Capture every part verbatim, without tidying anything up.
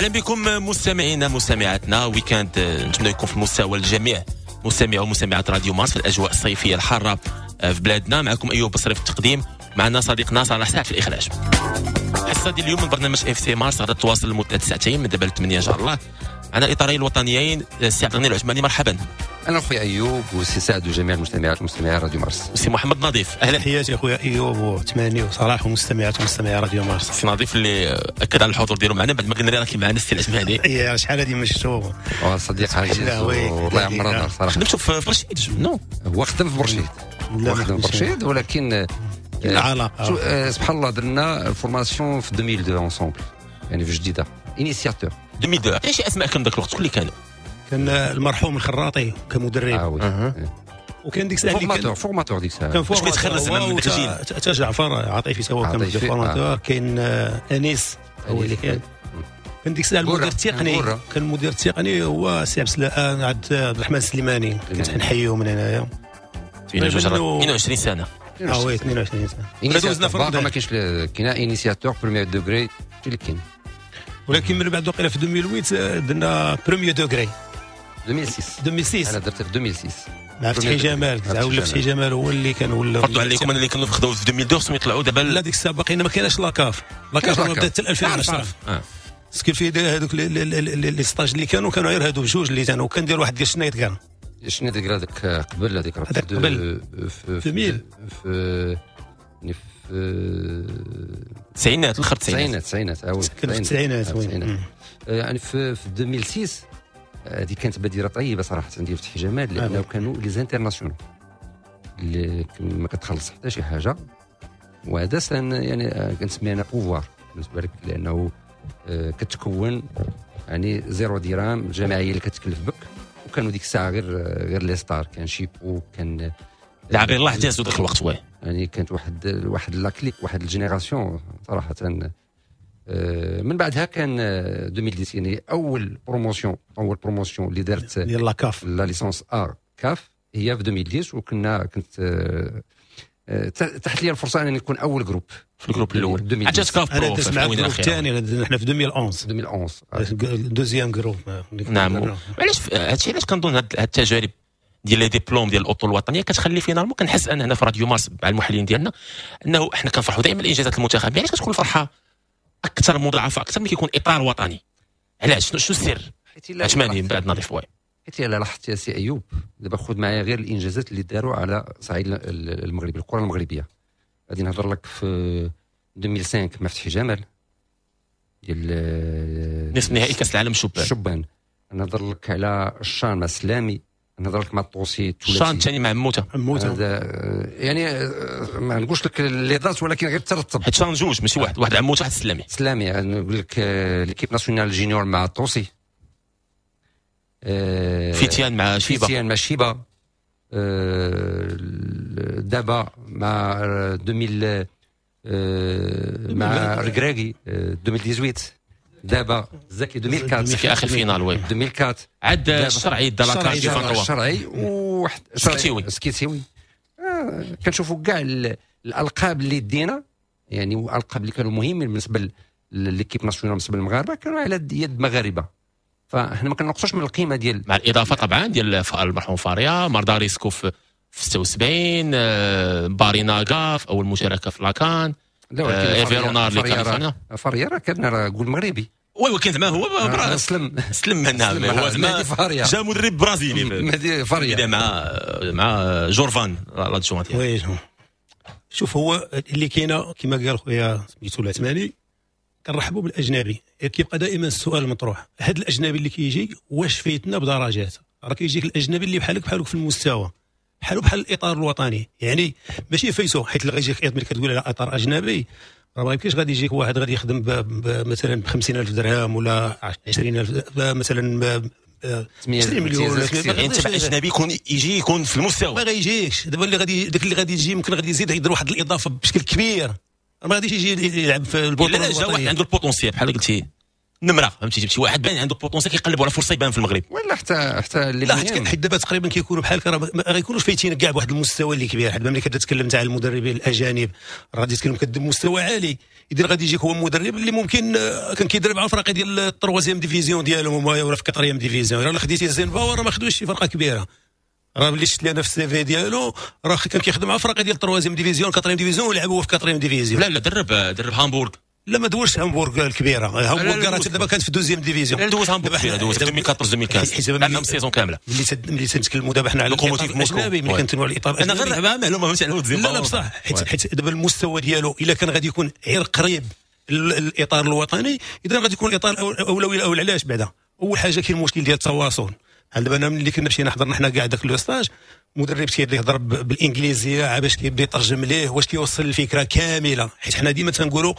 اهلا بكم مستمعينا مستمعاتنا، week-end نتمنى يكون في المستوى الجميع مستمعي ومستمعات راديو مارس في الاجواء الصيفية الحارة في بلادنا. معكم ايوب بصري في التقديم، معنا صديقنا صلاح سعد في الاخراج. الحصة ديال اليوم من برنامج اف سي مارس غادي تواصل لمدة ساعتين من دابا ل ثمانية ان شاء الله. معنا الاطارين الوطنيين السي عبد الغني العثماني، مرحبا. انا خويا ايوب وسي سعد وجميع المستمعات والمستمعين راديو مارس. سي محمد نظيف، اهلا. تحياتي اخويا ايوب وثماني وصلاح ومستمعات ومستمعي راديو مارس. سي نظيف اللي اكد على الحضور ديالو معنا بعد ما قلنا راه معنا السي العثماني. اي شحال هذه ما شفتو. صديق عزيز والله يعمرها صراحة. خدمتو في برشيد؟ non هو خدم في برشيد، هو خدم في برشيد ولكن العلاقة سبحان الله درنا formation في ألفين واثنين ensemble، يعني في جديدة initiateur ألفين واثنين. عطيني شي اسماء كان ذاك الوقت، شكون اللي كانوا؟ كان المرحوم الخراطي كمدرب، آه oui. أه. وكان ديك الساعة formateur formateur ديك الساعة كان formateur كيتخرج زعما من داك الجيل. حتى جعفر عطيفي تا هو كان formateur. كاين انيس هو اللي كان كان ديك الساعة المدير التقني، كان المدير التقني هو سي عبد عبد الرحمن السليماني، كنت نحييه من هنايا. اثنين وعشرين سنة. اه oui اثنين وعشرين سنة. دوزنا في ما كاينش كاين initiateur premier degré اللي كاين، ولكن من بعد وقيله في ألفين وثمانية درنا premier degré. ألفين وستة ألفين وستة انا درت في ألفين وستة مع فتحي جمال، ولا فتحي جمال هو اللي كان ولا فرضوا عليكم اللي كانوا خداو في ألفين واثنين خصهم يطلعوا دابا. لا ديك الساعة باقينا ما كايناش la CAF، la CAF بدات حتى ألفين وعشرة. ce qui fait هذوك les stages اللي كانوا كانوا غير هادو بجوج اللي كانوا، كان دير واحد ديال شنايد كان شنايد هذاك قبل هذيك قبل في ألفين في في التسعينات، الاخر التسعينات التسعينات كان في التسعينات يعني في في ألفين وستة. هذه كانت بادره طيبة صراحة ديال فتحي جمال، لانه كانوا les internationaux اللي ما كتخلص حتى شي حاجة، وهذا يعني كنسميه انا pouvoir بالنسبة لك، لانه كتكون يعني zéro درهم، الجمعية اللي كتكلف بك. وكانوا ديك الساعة غير غير les stars، كان شيبو، كان لاعبين الله جازوا ذاك الوقت oui، يعني كانت واحد واحد la clique، واحد ال génération صراحة. من بعدها كان ألفين وعشرة يعني اول promotion، اول promotion اللي دارت ديال la CAF، la licence A CAF، هي في ألفين وعشرة. وكنا كنت تحت لي الفرصة انني نكون اول groupe في ال groupe الاول. عاد CAF pro في الثاني، حنا في ألفين وأحد عشر ألفين وأحد عشر deuxième groupe. نعم. علاش هادشي؟ علاش كنظن هاد التجارب ديال les diplômes ديال الأطر الوطنية كتخلي finalement كنحس ان هنا في راديو مارس مع المحللين ديالنا انه احنا كنفرحوا دائما الانجازات المنتخبيه. علاش كتكون الفرحة اكثر مضاعفه اكثر من كيكون اطار وطني؟ علاش؟ شنو السر؟ عثماني من بعد نظيف oui. حيت الا لاحظت يا سي ايوب دابا خذ معايا غير الانجازات اللي داروا على صعيد المغرب، الكره المغربية. غادي نهضر لك في ألفين وخمسة مع فتحي جمال ديال نصف نهائي كاس العالم الشبان الشبان. نهضر لك على الشان مع السلامي، نهضر لك مع الطوسي الشان الثاني مع موته موته. يعني ما نقولش لك les dates ولكن غير ترتب، حيت شان جوج ماشي واحد، واحد عموتة واحد السلامي. سلامي نقول لك l'équipe nationale junior مع الطوسي، فيتيان مع شيبة، فيتيان مع شيبة، دابا مع ألفين مع ركراكي ألفين وثمانية عشر، دابا زكي ألفين وأربعة في اخر finale oui ألفين وأربعة عاد الشرعي دا la CAF الشرعي وواحد سكيتيوي سكيتيوي. آه كنشوفوا كاع الالقاب اللي دينا، يعني الالقاب اللي كانوا مهمين بالنسبة l'équipe nationale بالنسبة للمغاربة كانوا على يد مغاربة، فاحنا ما كنقصوش من القيمة ديال، مع الاضافة طبعا ديال المرحوم فاريا، مارداريسكو في ستة وسبعين، باريناغا في اول مشاركة في la CAN، ايفيرونار اللي كان فاريا راه كان راه قول مغربي oui، ولكن زعما هو سلم سلم منها، هو زعما جا مدرب برازيلي مهدي فاريا مع مع جورفان l'adjoint. oui شوف هو اللي كاينه كما قال خويا سميتو العثماني، كنرحبوا بالاجنبي. كيبقى دائما السؤال المطروح، هذا الاجنبي اللي كيجي واش فايتنا بدرجات؟ راه كيجيك الاجنبي اللي بحالك بحالك في المستوى، بحالو بحال الاطار الوطني، يعني ماشي فايتو، حيت اللي غيجيك ملي كتقول على اطار اجنبي راه ما يمكنش غادي يجيك واحد غادي يخدم مثلا ب خمسين ألف درهم ولا عشرين ألف مثلا عشرين مليون. يعني انت اجنبي يكون يجي يكون في المستوى، ما غيجيش. دابا اللي غادي داك اللي غادي يجي يمكن غادي يزيد يدير واحد الاضافة بشكل كبير، ما غاديش يجي يلعب في البطولة. لا جا واحد عنده ال potentiel بحال قلتي نمره، فهمتي؟ جبتي واحد باين عنده potentiel، كيقلبوا على فرصة يبان في المغرب. ولا حتى حتى اللي لا، حيت حيت دابا تقريبا كيكونوا بحال راه ما غيكونوش فايتين كاع بواحد المستوى اللي كبير، حيت ملي كتتكلم تاع المدربين الاجانب راه غادي تتكلم كدير مستوى عالي. اذا غادي يجيك هو مدرب اللي ممكن كان كيدرب على الفرق ديال ال troisième division ديالهم ولا في quatrième division. راه خديتي زينباور راه ما خدوش شي فرقه كبيره، راه ملي شفت لي انا في ال CV ديالو راه كان كيخدم مع فرق ديال ال troisième division، quatrième division، ولعب هو في quatrième division. لا لا، درب درب هامبورغ. لا، ما دوزش هامبورغ الكبيره، هامبورغ راه دابا كانت في deuxième division. لا، دوز هامبورغ كبيره، دوز ألفين وأربعطاش ألفين وخمسطاش، عندهم saison كامله. ملي ملي تنتكلموا دابا حنا على لوكوموتيف موسكو، ملي كنتكلموا على الاطار انا غير معلومة فهمتي على لا لا بصح، حيت حيت دابا المستوى ديالو الا كان غادي يكون غير قريب الاطار الوطني، اذا غادي يكون الاطار الاولوي الاول. علاش؟ بعدا اول حاجة كاين المشكل ديال التواصل. بحال دابا انا ملي كنا مشينا حضرنا حنا كاع داك le stage، مدرب تيبدا يهضر بالانجليزية باش كيبدا يترجم ليه واش كيوصل الفكرة كامله، حيت حنا ديما تنقولوا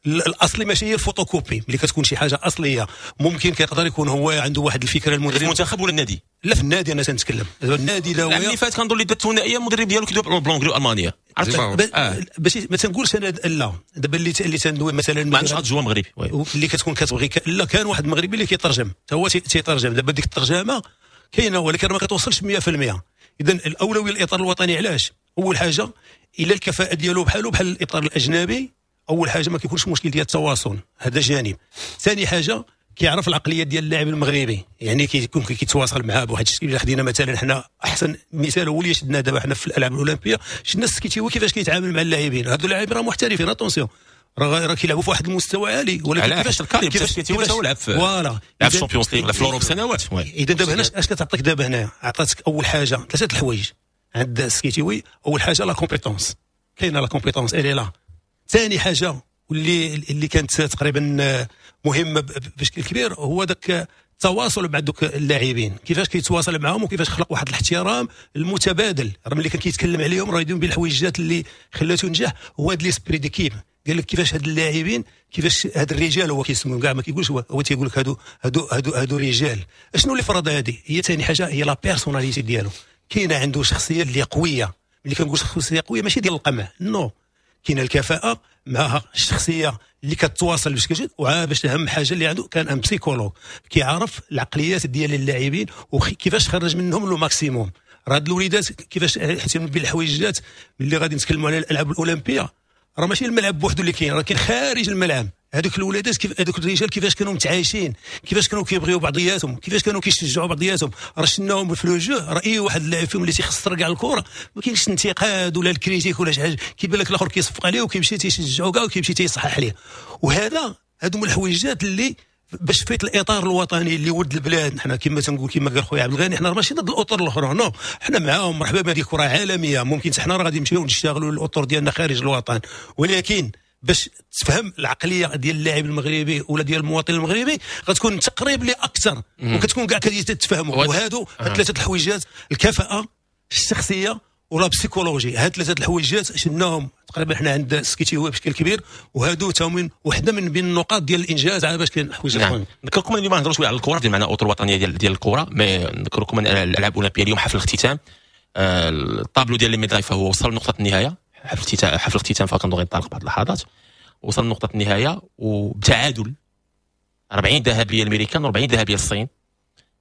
الاصلي ماشي هي الفوتوكوبي. ملي كتكون شي حاجة اصلية ممكن كيقدر يكون هو عنده واحد الفكرة المدرب. المنتخب ولا النادي؟ لا، في النادي انا تنتكلم، النادي. لا، العام اللي فات كنظن اللي دات الثنائية المدرب ديالو كيدوي ب l'anglais والمانيه. عرفت آه. باش ما تنقولش انا لا، دابا اللي اللي تندوي مثلا ما عندوش adjoint مغربي. اللي كتكون كتبغي ك... لا، كان واحد مغربي اللي كيترجم، هو تيترجم. دابا ديك الترجمة كاينه ولكن ما كتوصلش مية في المية. اذا الاولوية الاطار الوطني. علاش؟ اول حاجة الا الكفاءة ديالو بحالو بحال الاطار الاجنبي، اول حاجة ما كيكونش مشكل ديال التواصل، هذا جانب. ثاني حاجة كيعرف العقلية ديال اللاعب المغربي، يعني كيكون كيتواصل معاه بواحد الشكل. خدينا مثلا حنا احسن مثال هو اللي شدنا دابا حنا في الالعاب الاولمبيه، شفنا السكيتيوي كيفاش كيتعامل مع اللاعبين. هادو اللاعبين راه محترفين، attention، راه راه كيلعبوا في واحد المستوى عالي. ولكن كيفاش كيفاش كيفاش لعب في voilà لعب في ال Champions League في l'Europe سنوات. اذا دابا هنا اش كتعطيك؟ دابا هنا عطاتك اول حاجة ثلاثة الحوايج عند السكيتيوي. اول حاجة la compétence، كاينه la compétence، elle est là. ثاني حاجة واللي اللي كانت تقريبا مهمة بشكل كبير هو ذاك التواصل مع دوك اللاعبين، كيفاش كيتواصل معاهم وكيفاش خلق واحد الاحترام المتبادل. راه ملي كان كيتكلم عليهم راه يدوم بالحويجات اللي خلاته ينجح هو هذا l'esprit d'équipe. قال لك كيفاش هاد اللاعبين، كيفاش هاد الرجال، هو كيسميهم كاع، ما كيقولش هو، هو تيقول لك هادو هادو هادو هادو رجال. اشنو اللي فرض هادي؟ هي ثاني حاجة هي la personnalité ديالو، كاينه عنده شخصية اللي قويه. ملي كنقول شخصية قوية ماشي ديال القمع، non، كاينه الكفاءة معها الشخصية اللي كتواصل بشكل جيد. وباش اهم حاجة اللي عنده كان un psychologue كيعرف العقليات ديال اللاعبين وكيفاش خرج منهم le maximum. راه هاد الوليدات كيفاش، حيت من بين الحويجات ملي غادي نتكلموا على الالعاب الاولمبية راه ماشي الملعب بوحدو اللي كاين، راه كاين خارج الملعب. هذوك الولادات كيف هذوك الرجال كيفاش كانوا متعايشين، كيفاش كانوا كيبغيو بعضياتهم، كيفاش كانوا كيشجعوا بعضياتهم. راه شفناهم في le jeu، راه اي واحد لاعب فيهم اللي تيخسر كاع الكره ما كاينش انتقاد ولا ال critique ولا شي حاجه، كيبان لك الاخر كيصفق عليه وكيمشي تيشجعو كاع وكيمشي تيصحح ليه. وهذا هادو من الحويجات اللي باش فيت الاطار الوطني اللي ولد البلاد. حنا كما تنقول، كما قال خويا عبد الغني، حنا ماشي ضد الاطر الاخرى، non، حنا معاهم، مرحبا بهذه كره عالميه، ممكن حنا راه غادي نمشيو نشتغلوا الاطر ديالنا خارج الوطن، ولكن باش تفهم العقلية ديال اللاعب المغربي ولا ديال المواطن المغربي غتكون تقريب لي اكثر وكتكون كاع كتفهموا. وهادو آه. ثلاثة الحويجات، الكفاءه، الشخصية و la psychologie، هاد ثلاثة الحويجات شفناهم تقريبا حنا عند السكيتيوي بشكل كبير، وهادو تا وحده من بين النقاط ديال الانجاز على باش كاين حوايج. نعم. نذكركم اليوم نهضروا شوية على الكره، ديال معنا اطر وطنية ديال ديال الكره، mais نذكركم ان الالعاب الاولمبية اليوم حفل الاختتام، آه، الطابلو ديال les médailles فهو وصل لنقطة النهايه. حفل الاختتام حفل الاختتام فكنظن غينطلق بعض اللحظات. وصل لنقطة النهاية وبتعادل أربعين ذهبية الامريكان وأربعين ذهبية للصين،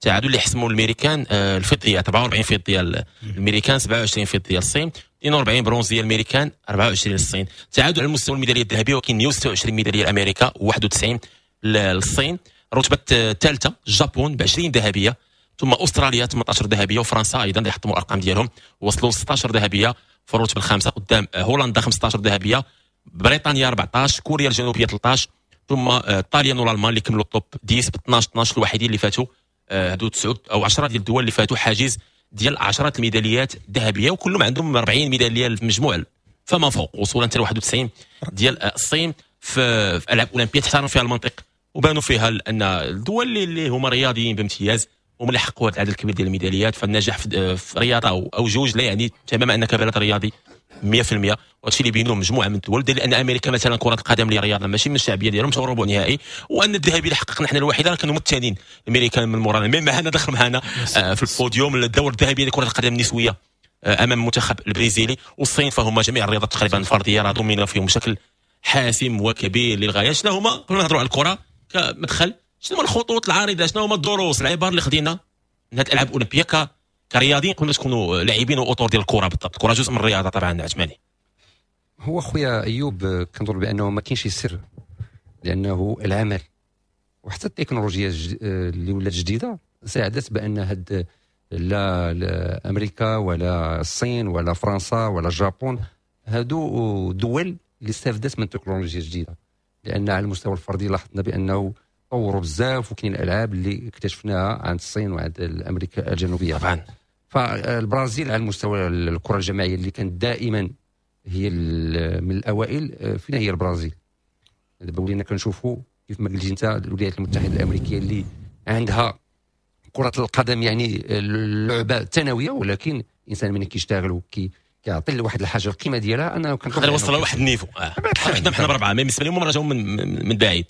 تعادل اللي حسموا الامريكان آه، الفضيات، أربعة وأربعين فضية الامريكان، سبعة وعشرين فضية للصين، اثنين وأربعين برونزيه الامريكان، أربعة وعشرين للصين. تعادل على المستوى الميداليه الذهبيه، وكاين مية وستة وعشرين ميدالية لامريكا وواحد وتسعين للصين. الرتبة الثالثة الجابون ب عشرين ذهبيه، ثم استراليا ثمنطاش ذهبيه، وفرنسا ايضا اللي حطموا الارقام ديالهم وصلوا ستطاش ذهبية في الرتبة الخامسه، قدام هولندا خمسطاش ذهبيه، بريطانيا أربعطاش، كوريا الجنوبية ثلاثطاش، ثم الطاليان والالمان اللي كملوا ال top عشرة ب اثناش اثناش، الوحيدين اللي فاتوا آه، هادو تسعة او عشرة ديال الدول اللي فاتوا حاجز ديال عشرة الميداليات الذهبيه، وكلهم عندهم أربعين ميدالية في المجموع فما فوق، وصولا حتى واحد وتسعين ديال الصين في, في العاب اولمبيه تحترم فيها المنطق وبانوا فيها ان الدول اللي هما رياضيين بامتياز هما اللي حققوا هذا العدد الكبير ديال الميداليات. فالنجاح في, في رياضة او, أو جوج لا يعني تماما انك بلد رياضي مية في المية، وهادشي اللي بينوه مجموعة من الدول، لان امريكا مثلا كره القدم اللي رياضة ماشي من الشعبية ديالهم مشاو ربع نهائي، وان الذهبي اللي حققنا حنا الوحيدة كانوا الثانيين الامريكان من مورانا، mais معنا دخل معنا آه، في البوديوم الدور الذهبي لكرة القدم النسوية آه، امام المنتخب البرازيلي. والصين فهم جميع الرياضات تقريبا الفردية راه dominent فيهم بشكل حاسم وكبير للغايه. شنو هما؟ قبل ما نهضروا على الكره كمدخل شنو هما الخطوط العريضة، شنو هما الدروس، العبار اللي خدينا من هذه الالعاب الاولمبية ك كرياضيين قبل ما تكونوا لاعبين واطور ديال الكره؟ بالضبط، الكره جزء من الرياضة طبعا. عثماني. هو خويا ايوب كنظن بانه ما كاينش سر، لانه العمل وحتى التكنولوجيا اللي ولات جديدة ساعدت بان هاد لا, لا امريكا ولا الصين ولا فرنسا ولا اليابان، هادو دول اللي استفدت من التكنولوجيا الجديده، لان على المستوى الفردي لاحظنا بانه طوروا بزاف، وكاين الالعاب اللي اكتشفناها عند الصين وعند امريكا الجنوبية طبعا. فالبرازيل على المستوى الكره الجماعية اللي كانت دائما هي من الاوائل، فينا هي البرازيل؟ دابا ولينا كنشوفوا كيف ما قلتي انت الولايات المتحدة الامريكية اللي عندها كره القدم يعني اللعبة ثانوية، ولكن الانسان من كيشتغل وكي كيعطي لواحد الحاجة القيمة ديالها، انا كنقدر يوصل لواحد ال niveau. آه. حنا حنا بربعه، بالنسبة لهم راه جاو من من بعيد.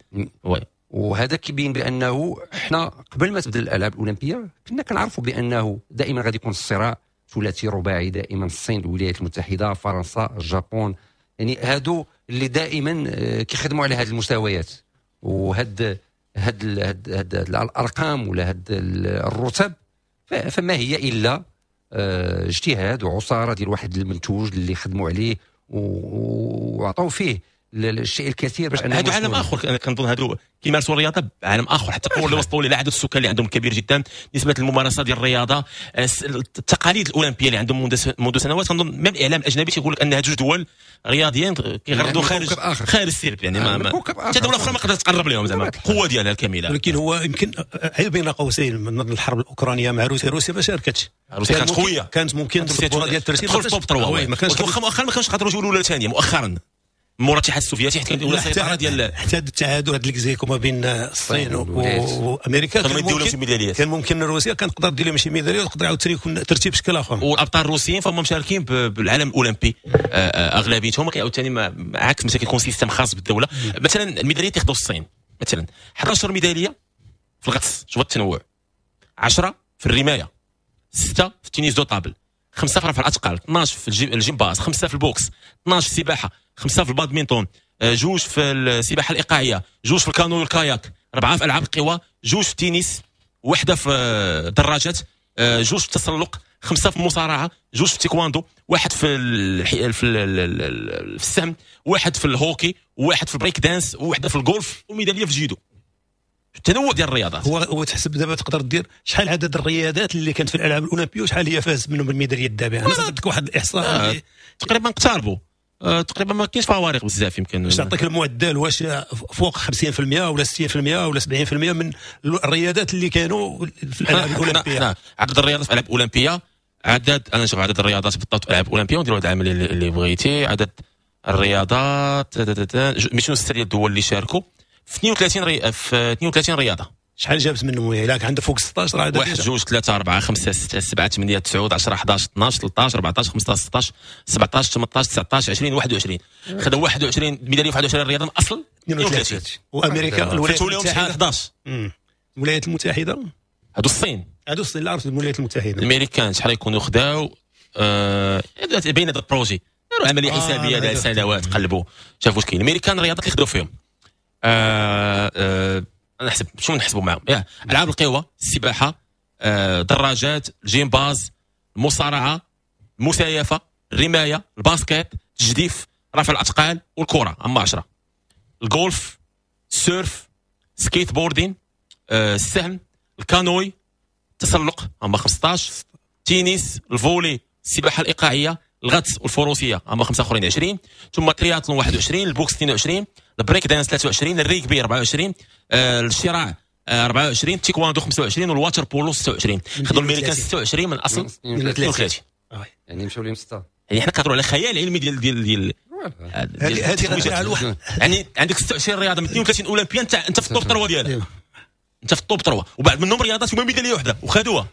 oui. وهذا كيبين بانه حنا قبل ما تبدا الالعاب الاولمبية كنا كنعرفوا بانه دائما غادي يكون الصراع ثلاثي رباعي، دائما الصين، الولايات المتحدة، فرنسا، اليابان، يعني هادو اللي دائما كيخدموا على هذه المستويات، وهاد هاد هاد, هاد الارقام ولا هاد الرتب فما هي الا اجتهاد وعصاره ديال واحد المنتوج اللي خدموا عليه وعطوا فيه الشيء الكثير باش هادو عالم اخر. انا كنظن هادو كيمارسوا الرياضة بعالم اخر، حتى التطور اللي وصلوا ليه، عدد السكان اللي عندهم كبير جدا، نسبه الممارسة ديال الرياضة، التقاليد الاولمبية اللي عندهم منذ سنوات. كنظن même الاعلام الاجنبي تيقول لك ان هاد جوج دول رياضيا كيغردوا خارج خارج السيرب، يعني ما حتى دولة اخرى ما قدرت تقرب لهم زعما القوة ديالها الكاملة. ولكن هو يمكن عيب بين قوسين من الحرب الاوكرانية مع روسيا، روسيا ما شاركتش، روسيا كانت قوية، كانت ممكن البطولة ديال الترتيب تدخل في top ثلاثة، واخا مؤخرا ما كانوش قدروا يجيو الاولى الثانية مؤخرا مورا الاتحاد السوفيتي، حيت كانت ولا السيطرة ديال حتى التعادل هذا ex aequo ما بين الصين وامريكا، كان ممكن كان ممكن روسيا كانت تقدر دير لهم شي ميدالية وتقدر عاوتاني يكون ترتيب بشكل اخر. والابطال الروسيين فهم مشاركين بالعالم الاولمبي اغلبيتهم، عاوتاني عكس مثلا كيكون système خاص بالدولة. مثلا الميداليات اللي خدوا الصين مثلا احد عشر ميدالية في الغطس، شوف التنوع، عشرة في الرماية، ستة في ال tennis de table، خمسة في رفع الاثقال، اثناش في الجيمباز، خمسة في ال boxe، اثناش في السباحة، خمسة في البادمنتون، جوج في السباحة الايقاعيه، جوج في الكانو والكاياك، اربعة في العاب القوى، جوج في التنس، وحده في الدراجات، جوج في التسلق، خمسة في المصارعة، جوج في التايكواندو، واحد في الح... في, ال... في السهم، واحد في الهوكي، واحد في البريك دانس، وواحدة في الجولف، وميداليه في الجيدو. التنوع ديال الرياضات هو هو تحسب دابا تقدر دير شحال عدد الرياضات اللي كانت في الالعاب الاولمبية وشحال هي فاز منهم بالميداليه الذهبية. انا عطيتك واحد الاحصاء آه. تقريبا اقتربوا آه، تقريبا ما كاينش فوارق بزاف. يمكن باش تعطيك المعدل واش فوق خمسين بالمية ولا ستين بالمية ولا سبعين بالمية من الرياضات اللي كانوا في الالعاب الاولمبية. عدد الرياضات في الالعاب الاولمبية، عدد انا نشوف عدد الرياضات بالضبط في الالعاب الاولمبية ونديروا هذه العملية اللي بغيتي. عدد الرياضات مئتين وستة ديال الدول اللي شاركوا في اثنين وثلاثين ري... في اثنين وثلاثين رياضة. شحال جابت منهم؟ الا عندها فوق ستة عشر راه واحد جوج ثلاثة أربعة خمسة ستة سبعة ثمانية تسعة عشرة أحد عشر اثناش ثلاثة عشر أربعة عشر خمسة عشر ستة عشر سبعة عشر ثمانية عشر تسعة عشر عشرين واحد وعشرين. خذوا واحد وعشرين ميدالية في واحد وعشرين رياضة من اصل اثنين وثلاثين. وامريكا الولايات المتحدة احد عشر. الولايات المتحدة هادو الصين، هادو الصين لا عرفت الولايات المتحدة. الامريكان شحال يكونوا خداو؟ آه... بين هذا ال projet داروا عملية حسابيه دار سنوات، قلبوا شافوا واش كاين. الامريكان الرياضات اللي خداو فيهم آه... آه... نحسب شنو نحسبوا معاهم؟ العاب القوى، السباحة، آه، دراجات، الجيمباز، المصارعة، المسايفه، الرماية، ال basket، التجديف، رفع الاثقال، والكره اما عشرة، الجولف، ال surf، skateboarding، آه، السهم، الكانوي، التسلق اما خمسطاش، تنس، ال volley، السباحة الايقاعيه، الغطس والفروسيه اما خمسة اخرين عشرين، ثم ترياتلون واحد وعشرين، ال boxe اثنين وعشرين، البريك دانس ثلاثة وعشرين، الريكبي أربعة وعشرين، آه، الشراع آه، أربعة وعشرين، التيكواندو خمسة وعشرين، وال water-polo ستة وعشرين. خذوا الامريكان ستة وعشرين من اصل اثنين وثلاثين. يعني مشاو لهم ستة. يعني حنا كنهضروا على خيال علمي ديال ديال ديال هذه هذه يعني عندك ستة وعشرين رياضة من اثنين وثلاثين اولمبيا، انت انت في ال top ثلاثة ديالها، انت في ال top ثلاثة، وبعد منهم رياضات هما ميدالية وحده وخذوها.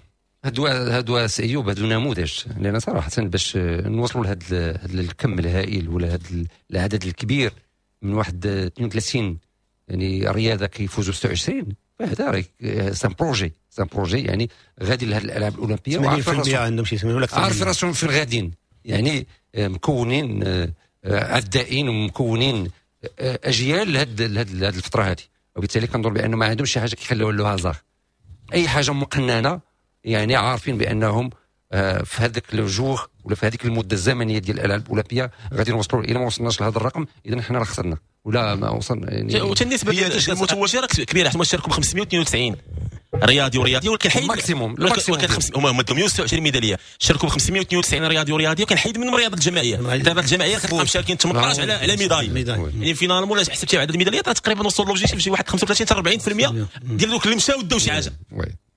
هادو هادو ايوب هادو نموذج، لان صراحة باش نوصلوا لهذا الكم الهائل ولا هذا العدد الكبير من واحد اثنين وثلاثين يعني رياضة كيفوزوا ستة وعشرين، فهذا راه c'est un projet، c'est un projet يعني غادي لهاد الالعاب الاولمبية. ثمانين بالمية عندهم شي ثمانين ولا اكثر، عارف راسهم فين غاديين، يعني مكونين عدائين ومكونين اجيال لهاد لهاد الفترة هذه. وبالتالي كنظن بانه ما عندهمش شي حاجة كيخليوها le hasard. اي حاجة مقننه يعني عارفين بانهم في هذاك le jour ولا في هذيك المدة الزمنية ديال الالعاب الاولمبية غادي نوصلوا. الى ما وصلناش لهذا الرقم اذا حنا راه خسرنا ولا ما وصلنا. يعني وحتى النسبة المتوجه راه كبيرة، حيت شاركوا ب خمسمية واثنين وتسعين رياضي ورياضي، ولكن حيد maximum maximum هما مدوا مية وستة وعشرين ميدالية، شاركوا ب خمسمية واثنين وتسعين رياضي ورياضي، وكنحيد منهم الرياضة الجماعية. الرياضة الجماعية كتلقى مشاركين ثمنطاش على على médaille، يعني finalement الا حسبتي عدد الميداليات راه تقريبا وصل l'objectif شي واحد خمسة وثلاثين حتى أربعين بالمية ديال دوك اللي مشاو داو شي حاجة،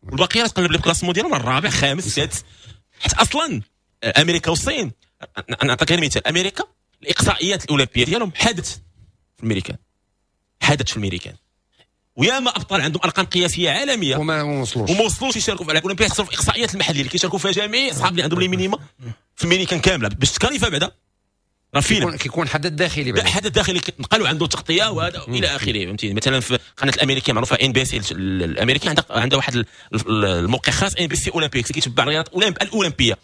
والباقي راه تقلب ال classement ديالهم الرابع خامس سادس. حيت اصلا امريكا والصين، نعطيك غير مثال، امريكا الاقصائيات الاولمبية ديالهم حادت في الميريكان، حادت في الميريكان، وياما ابطال عندهم ارقام قياسية عالمية وما وصلوش وما وصلوش يشاركوا في الالعاب الاولمبية، خسروا في الاقصائيات المحلية اللي كيشاركوا فيها جميع اصحاب اللي عندهم les minima في الميريكان كاملة باش تكاليفا بعدا راه فيلم كيكون حدث داخلي بعدا، حدث داخلي كيتنقلوا عنده تغطيه وهذا الى اخره، فهمتي. مثلا في قناة الامريكية معروفة NBC الامريكية عندها عندها واحد الموقع خاص NBC Olympics كيتبع الرياضات الاولمبية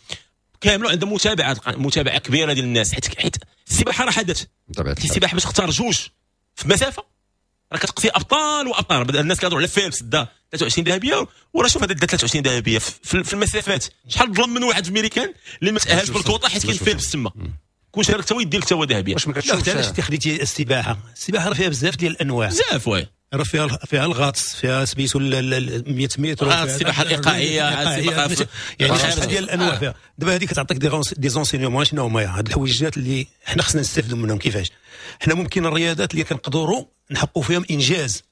كاملة، عندها متابعه متابعه كبيرة ديال الناس، حيت حيت السباحة راه حدث. السباحة باش تختار جوج في مسافة راه كتقصي ابطال وابطال. الناس كيهضروا على فيلبس دا ثلاثة وعشرين ذهبية، وراه شوف هذا دا ثلاثة وعشرين ذهبية في المسافات، شحال ظلم من واحد في الميريكان اللي ما تاهلش بالكوطه حيت كاين فيلبس تما، كون شارك تا هو يدير لك تا هو ذهبية. واش ما كتشوفش علاش خديتي السباحة؟ السباحة راه فيها بزاف ديال الانواع، بزاف oui، راه فيها فيها الغطس، فيها سميتو مية متر، السباحة الايقاعيه، السباحة يعني شحال ديال الانواع فيها. دابا هذه كتعطيك des enseignements شنو هما هاد الحويجات اللي حنا خصنا نستافدوا منهم. كيفاش حنا ممكن الرياضات اللي كنقدروا نحققوا فيهم انجاز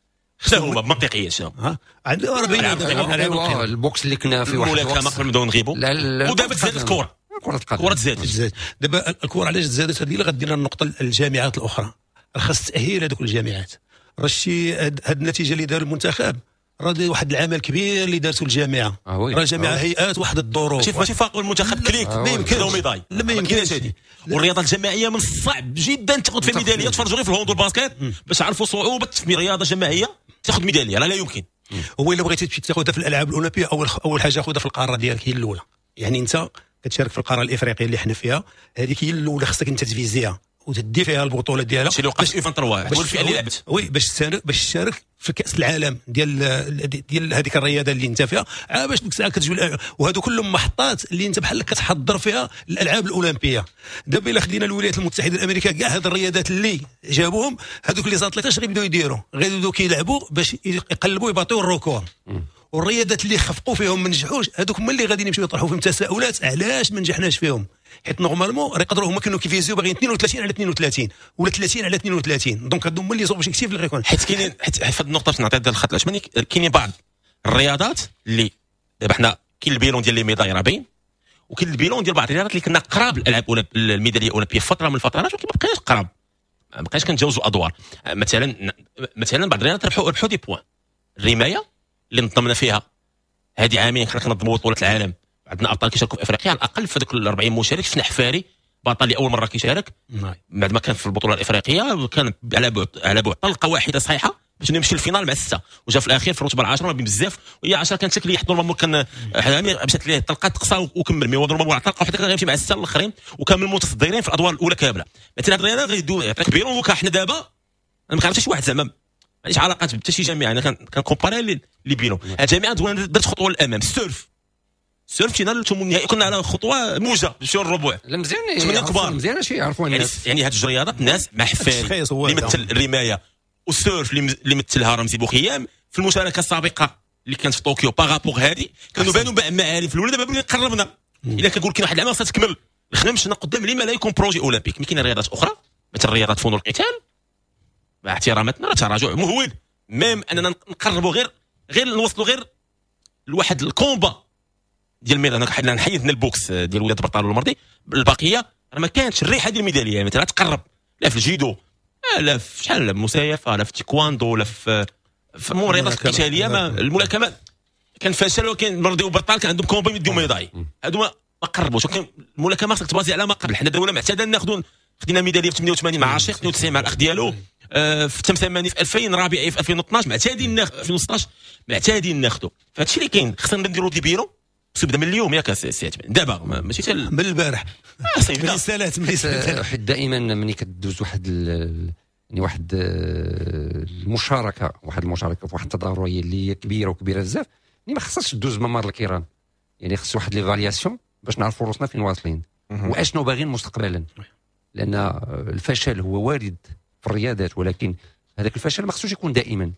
شنو هما منطقية، شنو ها عندنا ال boxe اللي كنا في واحد الملاكمة قبل ما نبداو نغيبوا، ودابا تزادت الكره، كرة القدم الكره تزادت. دابا الكره علاش تزادت؟ هذه اللي غدير النقطة للجامعات الاخرى، خاص تاهيل هذوك الجامعات. راه شي هاد النتيجة اللي دار المنتخب راه واحد العمل كبير اللي دارته الجامعة، راه الجامعة هيئات واحد الظروف، ماشي ماشي فاقوا المنتخب clic ما يمكنش médaille، لا ما يمكنش. هذه والرياضة الجماعية من الصعب جدا تاخذ في ميدالية. تفرجوا غير في ال hand وال basket باش عرفوا صعوبة في رياضة جماعية تاخذ ميدالية، لا لا يمكن. هو الا بغيتي تمشي تاخذها في الالعاب الاولمبية اول اول حاجة خذها في القارة ديالك هي الاولى، يعني انت كتشارك في القارة الافريقية اللي حنا فيها، هذيك هي الاولى خصك انت تفيزيها وتدي فيها البطولة ديالها. شي اللي وقع في ثلاثة هو الفئة اللي لعبت oui باش تشارك باش تشارك في كاس العالم ديال ديال هذيك الرياضة اللي انت فيها، باش ديك الساعة كتجي. وهادو كلهم محطات اللي انت بحال كتحضر فيها الالعاب الاولمبية. دابا الا خدينا الولايات المتحدة الامريكية كاع هاد الرياضات اللي جابوهم هادوك les athlètes اش غيبداو يديروا؟ غيبداو كيلعبوا باش يقلبوا يباطيو ال record. والرياضات اللي خفقوا فيهم ما نجحوش هذوك هما اللي غادي يمشيو يطرحوا فيهم تساؤلات علاش ما نجحناش فيهم، حيت normalement راه يقدروا هما كانوا كيفيزيو باغيين اثنين وثلاثين على اثنين وثلاثين ولا ثلاثين على اثنين وثلاثين، donc هادو هما les objectifs اللي غيكون. حيت كاينين، حيت في هذه النقطة باش نعطي الخط العثماني، كاينين بعض الرياضات اللي دابا حنا كاين ال bilan ديال les médailles راه باين، وكاين ال bilan ديال بعض الرياضات اللي كنا قراب الالعاب الميداليه الاولمبية فترة من الفترات، ولكن ما بقيناش قراب، ما بقيناش كنتجاوزوا ادوار. مثلا مثلا بعض الرياضات ربحوا ربحوا des points. الرماية اللي نظمنا فيها هذه عامين كنا كنظموا بطوله العالم، عندنا ابطال كيشاركوا في افريقيا على الاقل في ذوك ال أربعين مشارك شفنا حفاري بطل لاول مرة كيشارك بعد ما كان في البطولة الافريقية، كان على بعد على بعد طلقه واحدة صحيحه باش نمشي لل finale مع ستة، وجا في الاخير في الرتبة العاشرة ما بين بزاف، وهي عشرة كانت شكل normalement كان مشات ليه طلقه تقصى وكمل، mais normalement طلقه واحدة كان غيمشي مع ستة الاخرين وكان من المتصدرين في الادوار الاولى كاملة. مثلا هذه الرياضة غيدو يعطيك bilan. حنا دابا انا ما كنعرفش شي واحد زعما ما عنديش علاقات بحتى شي جامعه، انا كن comparer les bilans. الجامعة درت خطوة للامام. ال surf ال surf مشينا للثمن النهائي، كنا على خطوة موجه نمشيو للربع. لا مزيان، ثمانية كبار مزيان شي يعرفوا الناس. يعني هاد الرياضات الناس مع حفاري اللي مثل الرماية وال surf اللي مثلها رمزي بوخيام في المشاركة السابقة اللي كانت في طوكيو par rapport هادي كانوا بانوا معالم في الاولى. دابا قربنا الا كنقول كاين واحد العام خاصها تكمل الخدمة مشينا قدام لما لا يكون projet olympique. mais كاين رياضات اخرى مثل رياضات فنون القتال مع احتراماتنا راه تراجع مهول، même اننا نقربوا غير غير نوصلوا غير لواحد ال combat ديال الميدان. حنا نحيدنا ال boxe ديال ولاد برطال والمرضي، البقية راه ما كانتش الريحة ديال الميداليه. مثلا تقرب لا في الجيدو، لا في شحال المسايفه، لا في التايكواندو، لا في في الرياضات القتالية. ما الملاكمة كان فشل، وكان مرضي وبرطال كان عندهم combat يديو médaille، هادو ما قربوش. ولكن الملاكمة خصك تبازي على ما قبل. حنا دولة معتادة ناخذوا، خدينا ميدالية في ثمانية وثمانين مع عشيق، اثنين وتسعين مع الاخ ديالو، في ثمانية في ألفين، رابعي في ألفين واثناش، معتادين ناخذ ألفين وستاش معتادين ناخذوا. فهادشي اللي كاين، خصنا نديروا des bilans خصو يبدا من اليوم ياك سي دابا ماشي حتى من البارح. آه ملي سالات ملي سالات. حيت دائما ملي كدوز واحد يعني واحد المشاركة، واحد المشاركة في واحد التظاهريه اللي هي كبيرة وكبيره بزاف، يعني ما خصهاش تدوز ممر الكيران، يعني خص واحد l'évaluation باش نعرفوا روسنا فين واصلين واشنو باغيين مستقبلا، لان الفشل هو وارد في الرياضات، ولكن هذاك الفشل ما خصوش يكون دائما.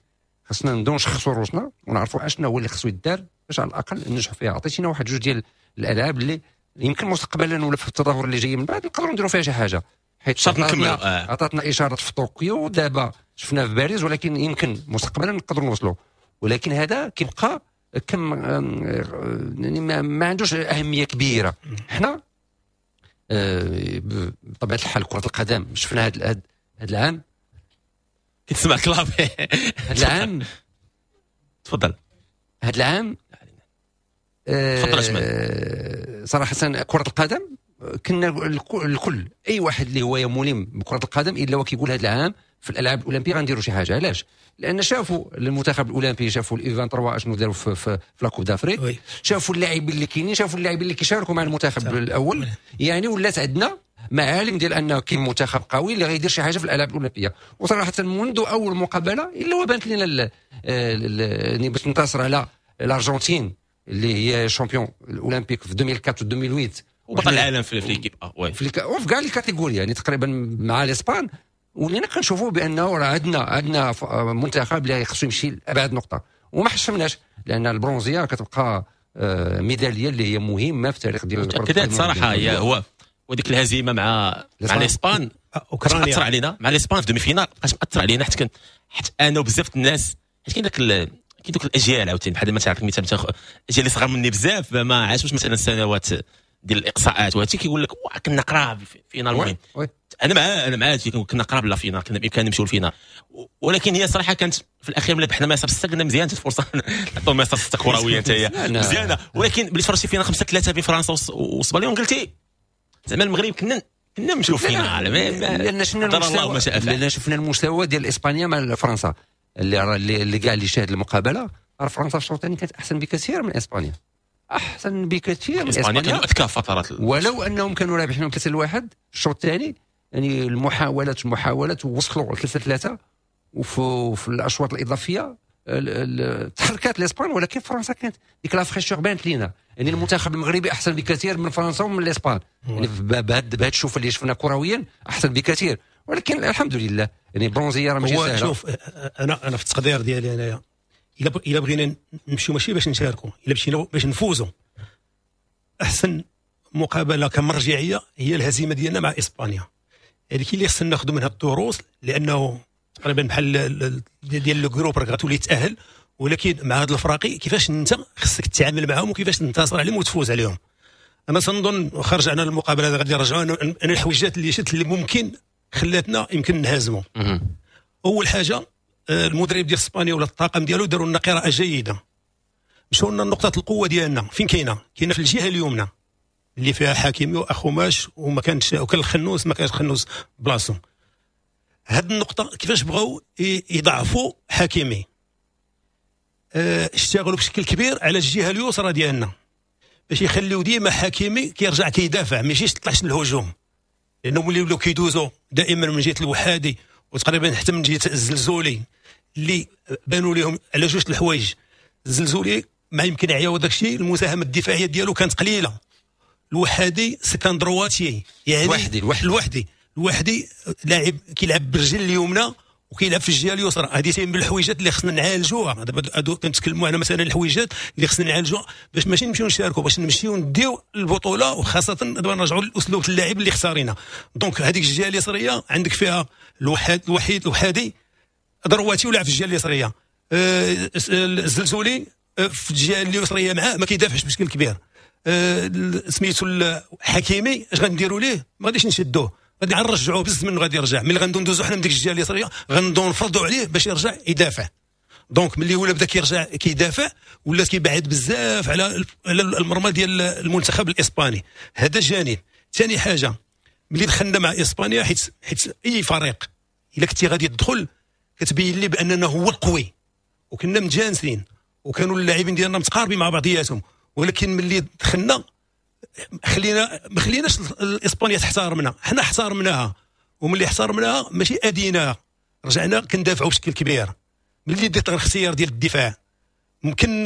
خصنا نبداو نشخصوا روسنا ونعرفوا اشنو هو اللي خصو يدار باش على الاقل ننجحوا فيها. عطيتينا واحد جوج ديال الالعاب اللي يمكن مستقبلا ولا في التظاهر اللي جاي من بعد نقدروا نديروا فيها شي حاجة، حيت عطاتنا عطاتنا اشارات في طوكيو، دابا شفنا في باريس، ولكن يمكن مستقبلا نقدروا نوصلوا. ولكن هذا كيبقى كم يعني ما, ما عندوش اهمية كبيرة. حنا بطبيعة الحال كره القدم شفنا هذا هذا العام كتسمع clavier هذا العام تفضل هذا العام تفضل أجمل. صراحة كره القدم كنا الكل اي واحد اللي هو ملم بكره القدم الا وكيقول هذا العام في الالعاب الاولمبية غنديروا شي حاجة. علاش؟ لان شافوا المنتخب الاولمبي، شافوا ال U ثلاثة وعشرين اشنو داروا في, في, في la Coupe d'Afrique، شافوا اللاعبين اللي كاينين، شافوا اللاعبين اللي كيشاركوا مع المنتخب الاول، يعني ولات عندنا معالم ديال انه كاين منتخب قوي اللي غيدير شي حاجة في الالعاب الاولمبية. وصراحة منذ اول مقابله الا وبانت لنا يعني باش ننتصر على الارجنتين اللي هي champion olympique في ألفين وأربعة و ألفين وثمانية وبطل العالم في l'équipe A، oui في وفي كاع les catégories، يعني تقريبا مع الاسبان، ولينا كنشوفوا بانه راه عندنا عندنا منتخب اللي خصو يمشي لابعد نقطة، وما حشمناش لان البرونزيه كتبقى ميدالية اللي هي مهمة في التاريخ ديال الكره. كذلك صراحة هي هو وديك الهزيمة مع مع الاسبان اوكرانيا تاثر علينا، مع الاسبان في demi-finale بقات مأثر علينا، حيت كان حيت انا وبزاف الناس، حيت كاين داك كاين دوك الاجيال عاوتاني بحال مثلا نعطيك مثال، الاجيال اللي صغار مني بزاف ما عاشوش مثلا السنوات ديال الاقصاءات وهادشي، كيقول لك كنا قراب finale. المهم انا مع انا مع كنا قراب la finale، كنا بامكاننا نمشيو لل finale، ولكن هي صراحة كانت في الاخير ملي ربحنا مصر ستة قلنا مزيان الفرصة نعطيو مصر ستة كروية حتى هي مزيانه، ولكن ملي تفرجتي فينا خمسة ثلاثة بين فرنسا واسبانيا قلتي زعما المغرب كنا كنا نمشيو finale. لان شفنا المستوى، لان شفنا المستوى ديال اسبانيا مع فرنسا اللي اللي كاع اللي شاهد المقابلة، فرنسا في الشوط الثاني كانت احسن بكثير من اسبانيا، احسن بكثير من اسبانيا، كانوا اذكى فترات، ولو انهم كانوا رابحين ثلاثة لواحد الشوط الثاني، يعني المحاولات المحاولات وصلوا ثلاثة ثلاثة، وفي في الاشواط الاضافية تحركات الاسبان، ولكن فرنسا كانت ديك la fraîcheur بانت لينا، يعني المنتخب المغربي احسن بكثير من فرنسا ومن الاسبان، يعني بهذا بهذا الشوف اللي شفنا كرويا احسن بكثير، ولكن الحمد لله يعني برونزيه راه ماشي سهلة. شوف انا انا في التقدير ديالي انايا الا الا بغينا نمشيو ماشي باش نشاركوا، الا مشينا باش نفوزوا، احسن مقابله كمرجعيه هي الهزيمة ديالنا مع اسبانيا، هذيك اللي خصنا ناخذوا منها الدروس، لانه تقريبا بحال ديال le groupe راك غتولي تاهل، ولكن مع هاد الفراقي كيفاش انت خصك تتعامل معاهم وكيفاش تنتصر عليهم وتفوز عليهم. انا تنظن خرج عنا المقابلة غادي نرجعوا انا الحويجات اللي شفت اللي ممكن خلاتنا يمكن نهزموا. اول حاجة المدرب ديال اسبانيا ولا الطاقم ديالو داروا لنا قراءة جيدة، مشاو لنا نقطة القوة ديالنا فين كاينه؟ كاينه في الجهة اليمنى اللي فيها حكيمي واخوماش وما كانش وكان الخنوس، ما كانش الخنوس بلاصو. هاد النقطة كيفاش بغاو يضعفوا حكيمي، اه اشتغلوا بشكل كبير على الجهة اليسرى ديالنا باش يخليو ديما حكيمي كيرجع كيدافع، ما يجيش يطلعش للهجوم، لانه ملي ولاو كيدوزوا دائما من جهة الوحادي وتقريبا حتى من جهة الزلزولي اللي بانوا لهم على جوج الحوايج. الزلزولي ما يمكن عيا وداك الشيء المساهمة الدفاعية ديالو كانت قليله، الوحادي c'est un droitier، يعني الوحدي الوحدي الوحدي لاعب كيلعب بالرجل اليمنى وكيلعب في الجهة اليسرى. هذه من الحويجات اللي خصنا نعالجوها. دابا كنتكلموا على مثلا الحويجات اللي خصنا نعالجوها باش ماشي نمشيو نشاركوا، باش نمشيو نديو البطولة، وخاصة دابا نرجعوا لاسلوب اللاعب اللي اختارينا. donc هذيك الجهة اليسريه عندك فيها الوحيد الوحيد الوحادي droitier ولعب في الجهة اليسريه، آه الزلزولي في الجهة اليسريه معاه ما كيدافعش بشكل كبير، آه سميتو الحكيمي اش غنديروا ليه؟ ما غاديش نشدوه، غادي نرجعوه بزز منه غادي يرجع. ملي غندوزو حنا من ديك الجهة اليسريه غندو نفرضوا عليه باش يرجع يدافع. donc ملي ولا بدا كيرجع كيدافع ولا كيبعد بزاف على على المرمى ديال المنتخب الاسباني. هذا جانب. ثاني حاجة ملي دخلنا مع اسبانيا، حيت حيت اي فريق الا كنتي غادي تدخل كتبين لي باننا هو القوي، وكنا متجانسين وكانوا اللاعبين ديالنا متقاربين مع بعضياتهم، ولكن ملي دخلنا خلينا ما خليناش الاسبانيا تحترمنا، حنا احترمناها، وملي احترمناها ماشي اديناها. رجعنا كندافعوا بشكل كبير. ملي درت الاختيار ديال الدفاع ممكن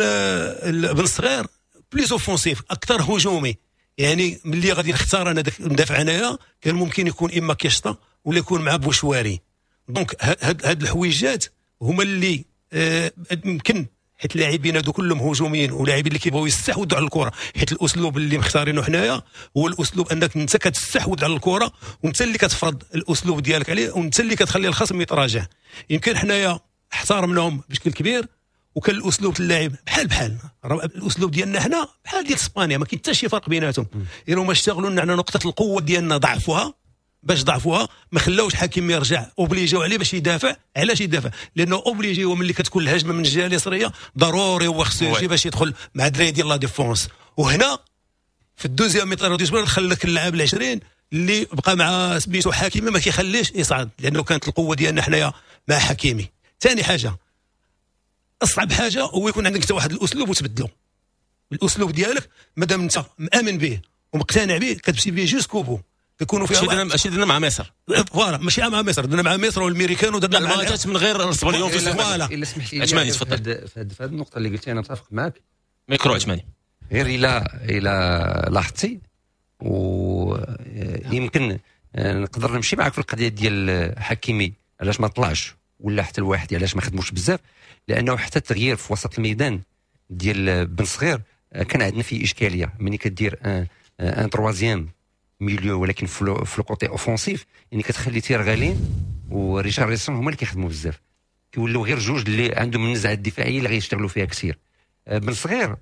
بن صغير plus offensif اكثر هجومي، يعني ملي غادي نختار انا داك ندافع انايا كان ممكن يكون اما كيشطا ولا يكون مع بوشواري. donc هاد هاد الحويجات هما اللي يمكن حيت اللاعبين هادو كلهم هجوميين ولاعبين اللي كيبغيو يستحوذوا على الكره، حيت الاسلوب اللي مختارينه حنايا هو الاسلوب انك انت كتستحوذ على الكره وانت اللي كتفرض الاسلوب ديالك عليه وانت اللي كتخلي الخصم يتراجع. يمكن حنايا احترمناهم بشكل كبير وكان الاسلوب اللاعب بحال بحال الاسلوب ديالنا حنا بحال ديال اسبانيا، ما كاين حتى شي فرق بيناتهم. الا هما اشتغلوا لنا على نقطة القوة ديالنا ضعفوها، باش ضعفوها ما خلاوش حكيمي يرجع، obligé و عليه باش يدافع. علاش يدافع؟ لانه obligé هو ملي كتكون الهجمة من الجهة اليسريه ضروري هو خصو يجي باش يدخل مع الدراري ديال la défense. وهنا في ال deuxième mi-temps دخل لك اللاعب العشرين اللي بقى مع سميتو حكيمي ما كيخليش يصعد، لانه كانت القوة ديالنا حنايا مع حكيمي. ثاني حاجة، اصعب حاجة هو يكون عندك انت واحد الاسلوب وتبدلو الاسلوب ديالك مادام انت مامن به ومقتنع به كتمشي به jusqu'au bout. كيكونوا فيها ماشي درنا مع مصر voilà، ماشي مع مصر، درنا مع مصر والميريكان ودرنا مع ماتشات من غير الصبليون في voilà. الا سمحت لي عثماني تفضل في هذه النقطة اللي قلتي انا متفق معك. ميكرو عثماني. غير الا الا لاحظتي ويمكن نقدر نمشي معك في القضية ديال حكيمي علاش ما طلعش ولا حتى الواحد علاش ما خدموش بزاف، لانه حتى التغيير في وسط الميدان ديال بن صغير كان عندنا فيه اشكالية. ملي كدير un un troisième milieu ولكن في le côté offensif، يعني كتخلي تيرغالين وريشارلسون هما اللي كيخدموا بزاف، كيولوا غير جوج اللي عندهم النزعة الدفاعية اللي غيشتغلوا فيها كثير. بن صغير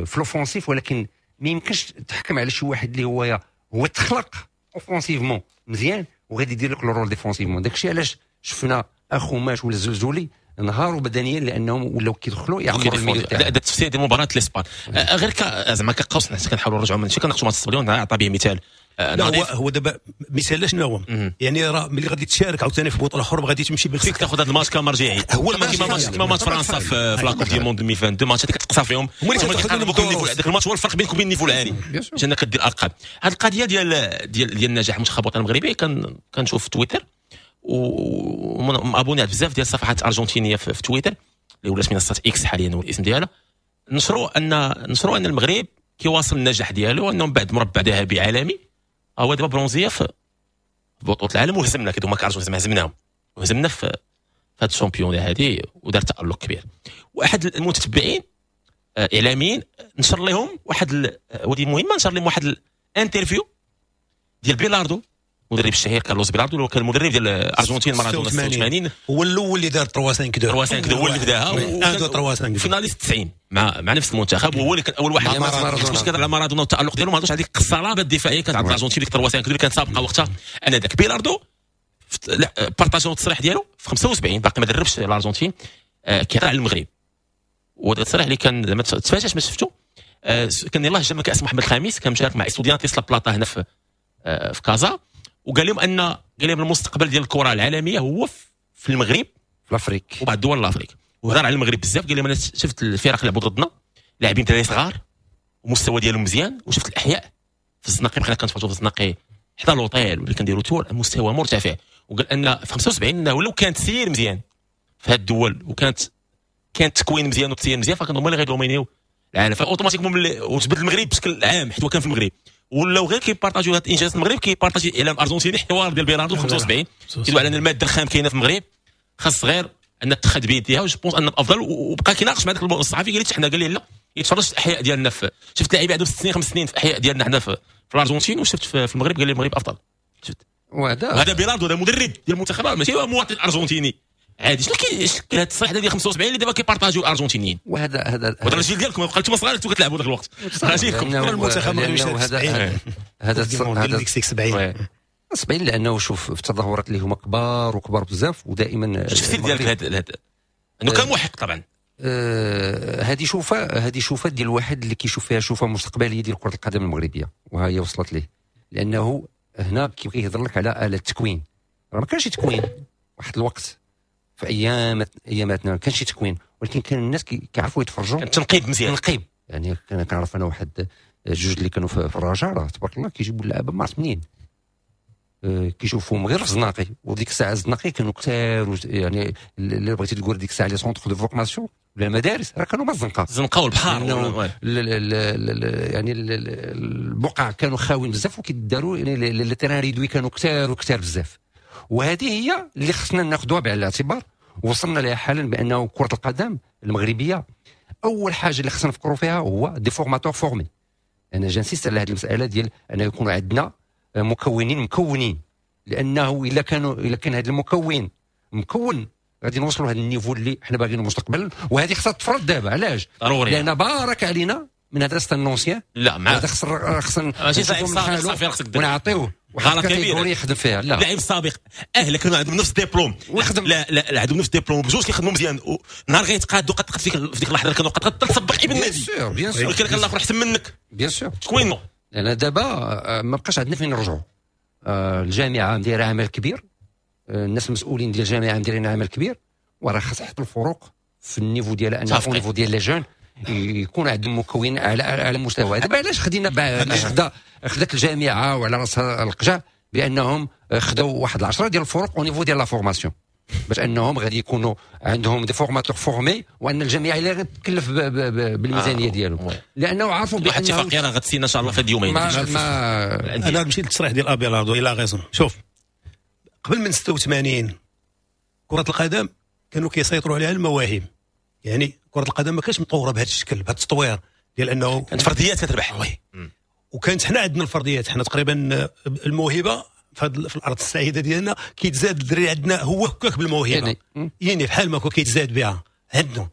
في l'offensif، ولكن ما يمكنش تحكم على شي واحد اللي هو هو تخلق offensivement مزيان وغادي يدير لك le rôle défensivement. داكشي علاش شفنا اخوماش ولا الزلزولي انهاروا بدنيا لانهم ولاو كيدخلوا يعمروا ال milieu تاعهم. هذا التفسير ديال مباراة الاسبان غير زعما كقوس حنا كنحاولوا نرجعوا من شي كناقشوا ماتش الصبليون عطى به مثال. لا هو هو دابا مثال شنو هو؟ يعني راه ملي غادي تشارك عاوتاني في بطوله اخرى غادي تمشي بالفكرة تاخذ هذا الماتش كمرجعي. هو كيما ماتش كيما ماتش فرنسا في la Coupe du monde ألفين واثنين وعشرين، ماتش هذيك كتقصى فيهم هذاك الماتش هو الفرق بينك وبين ال niveau العالي باش انك كدير ارقام. هذه القضية ديال ديال ديال النجاح المنتخب الوطني المغربي كنشوف في تويتر و abonné بزاف ديال الصفحات الارجنتينية في تويتر اللي ولات منصة اكس حاليا هو الاسم ديالها، نشروا ان نشروا ان المغرب كيواصل النجاح ديالو انه من بعد مربع ذهبي عالمي هو دابا برونزيه في بطوله العالم، وهزمنا كي هما كارجون زعما هزمناهم وهزمنا في هذا ال championnat هذه ودار تالق كبير. واحد المتتبعين اعلاميين نشر لهم واحد ودي مهمة، نشر لهم واحد ال interview ديال بيلاردو المدرب الشهير كارلوس بيلاردو اللي هو كان المدرب ديال الارجنتين مارادونا ستة وثمانين، هو الاول اللي دار ثلاثة خمسة اثنين ثلاثة خمسة اثنين هو اللي بداها واحد اثنين ثلاثة خمسة finaliste تسعين مع مع نفس المنتخب، وهو اللي كان اول واحد باش كيهضر على مارادونا والتالق ديالو ما هضرش على ديك الصلابة الدفاعية كانت عند الارجنتين ديك ثلاثة خمسة اثنين اللي كانت سابقه وقتها انذاك. بيلاردو partageاو التصريح ديالو في خمسة وسبعين باقي ما دربش الارجنتين، كيهضر على المغرب، وهذا التصريح اللي كان زعما تفاجات ما شفتو، كان يلاه جا من كاس محمد الخامس، كان مشارك مع استوديانتيس لا بلاطا هنا في في كازا، وقال لهم ان قال لهم المستقبل ديال الكره العالمية هو في المغرب في l'Afrique وبعض دول l'Afrique، وهضر على المغرب بزاف. قال لهم انا شفت الفرق لعبوا ضدنا لاعبين دراري صغار ومستوى ديالهم مزيان، وشفت الاحياء في الزناقي بقينا كنتفرجوا في الزناقي حدا l'hôtel واللي كنديروا tour مستوى مرتفع. وقال ان في خمسة وسبعين انه لو كانت تسير مزيان في هاد الدول وكانت كان التكوين مزيان والتسيير مزيان فكانوا هما اللي غيدومينيو العالم. ف automatiquement وتبدل المغرب بشكل عام حيت هو كان في المغرب، ولاو غير كيبارطاجيو هاد الانجاز المغرب كيبارطاجي الاعلام الارجنتيني حوار ديال بيلاردو خمسة وسبعين كيدوي على ان المادة الخام كاينه في المغرب خاص غير ان تخد بيديها، و je pense ان افضل. وبقى كيناقش مع داك الصحفي قال لي حنا قال لي لا يتفرج في الاحياء ديالنا في شفت لاعبين عندهم ست سنين خمس سنين في الاحياء ديالنا حنا في, في الارجنتين، وشفت في, في المغرب قال لي المغرب افضل. شفت وهذا هذا بيلاردو هذا مدرب ديال المنتخب ماشي هو مواطن ارجنتيني عادي. شنو كاين هذا التصريح ديال خمسة وسبعين اللي دابا كيبارطاجيو الارجنتينيين؟ وهذا هذا هذا الجيل ديالكم بقى انتم صغار كنتوا كتلعبوا ذاك الوقت راجلكم المنتخب هذا هذا هذا سبعين سبعين لانه شوف في التظاهرات اللي هما كبار وكبار بزاف ودائما التفسير ديالك لهذا انه كان محق طبعا. هذه شوفه هذه شوفه ديال واحد اللي كيشوف فيها شوفه مستقبلية ديال كره القدم المغربية، وها هي وصلت ليه لانه هنا كيبغي يهضر لك على آلة التكوين. راه ما كانش تكوين واحد الوقت في ايام اياماتنا ما كانش تكوين، ولكن كان الناس كيعرفوا يتفرجوا، كان تنقيب مزيان تنقيب. يعني كنعرف انا واحد جوج اللي كانوا في الرجاء راه تبارك الله كيجيبوا اللعابه ما عرفت منين، كيشوفوهم غير في الزناقي، وديك الساعة الزناقي كانوا كثار، يعني اللي بغيتي تقول ديك الساعة les centres de formation ولا المدارس راه كانوا ما الزنقة الزنقة والبحر، يعني البقع كانوا خاويين بزاف، وكيداروا يعني les terrains réduits كانوا كثار وكثار بزاف. وهذه هي اللي خصنا ناخذوها بعين الاعتبار. وصلنا لها حالا بانه كره القدم المغربية اول حاجة اللي خصنا نفكروا فيها هو des formateurs formés. انا j'insiste على هذه المسالة ديال ان يكون عندنا مكونين مكونين، لانه الا كانوا الا كان هذا المكون مكون غادي نوصلوا لهذا ال niveau اللي حنا باغينه مستقبلا. وهذه خصها تفرض دابا. علاش؟ ضروري، لان بارك علينا من هذا l'ancien. لا مع هذا خص خصنا ماشي صافي خصك ونعطيوه غلط كبير يخدم فيها. لا لاعب سابق اهلا كانوا عندهم نفس الدبلوم، لا لا لا عندهم نفس الدبلوم بجوج كيخدموا مزيان، نهار غيتقادوا قد في ديك اللحظة كانوا قد تسبق ابن النادي bien sûr bien sûr، ولكن الاخر احسن منك bien sûr. تكوينو لان دابا ما بقاش عندنا فين نرجعوا. الجامعة دايرة عمل كبير، الناس المسؤولين ديال الجامعة دايرين عمل كبير، وراه خاص حتى الفروق في ال niveau ديال ان ال niveau ديال les jeunes يكون عندهم مكون على على مستوى. دابا علاش خدينا علاش خدا خدات الجامعة وعلى راسها القجع بانهم خداو واحد العشرة ديال الفرق au niveau ديال la formation، باش انهم غادي يكونوا عندهم des formateurs formés، وان الجامعة اللي غتكلف بالميزانيه ديالهم، لانه عارفوا بان واحد الاتفاقية راه غتسينا ان شاء الله في هاد اليومين. ما ما انا مشيت للتصريح ديال ابيلاردو il a raison. شوف قبل من ستة وثمانين كره القدم كانوا كيسيطروا عليها المواهب، يعني كره القدم ما كانتش مطوره بهذا الشكل بهذا التطوير ديال انه كانت فرديات كتربح. oui وكانت حنا عندنا الفرديات، حنا تقريبا الموهبة في, في الارض السعيدة ديالنا كيتزاد الدري عندنا هو هكاك بالموهبه، يعني بحال ما كيتزاد بها عندنا.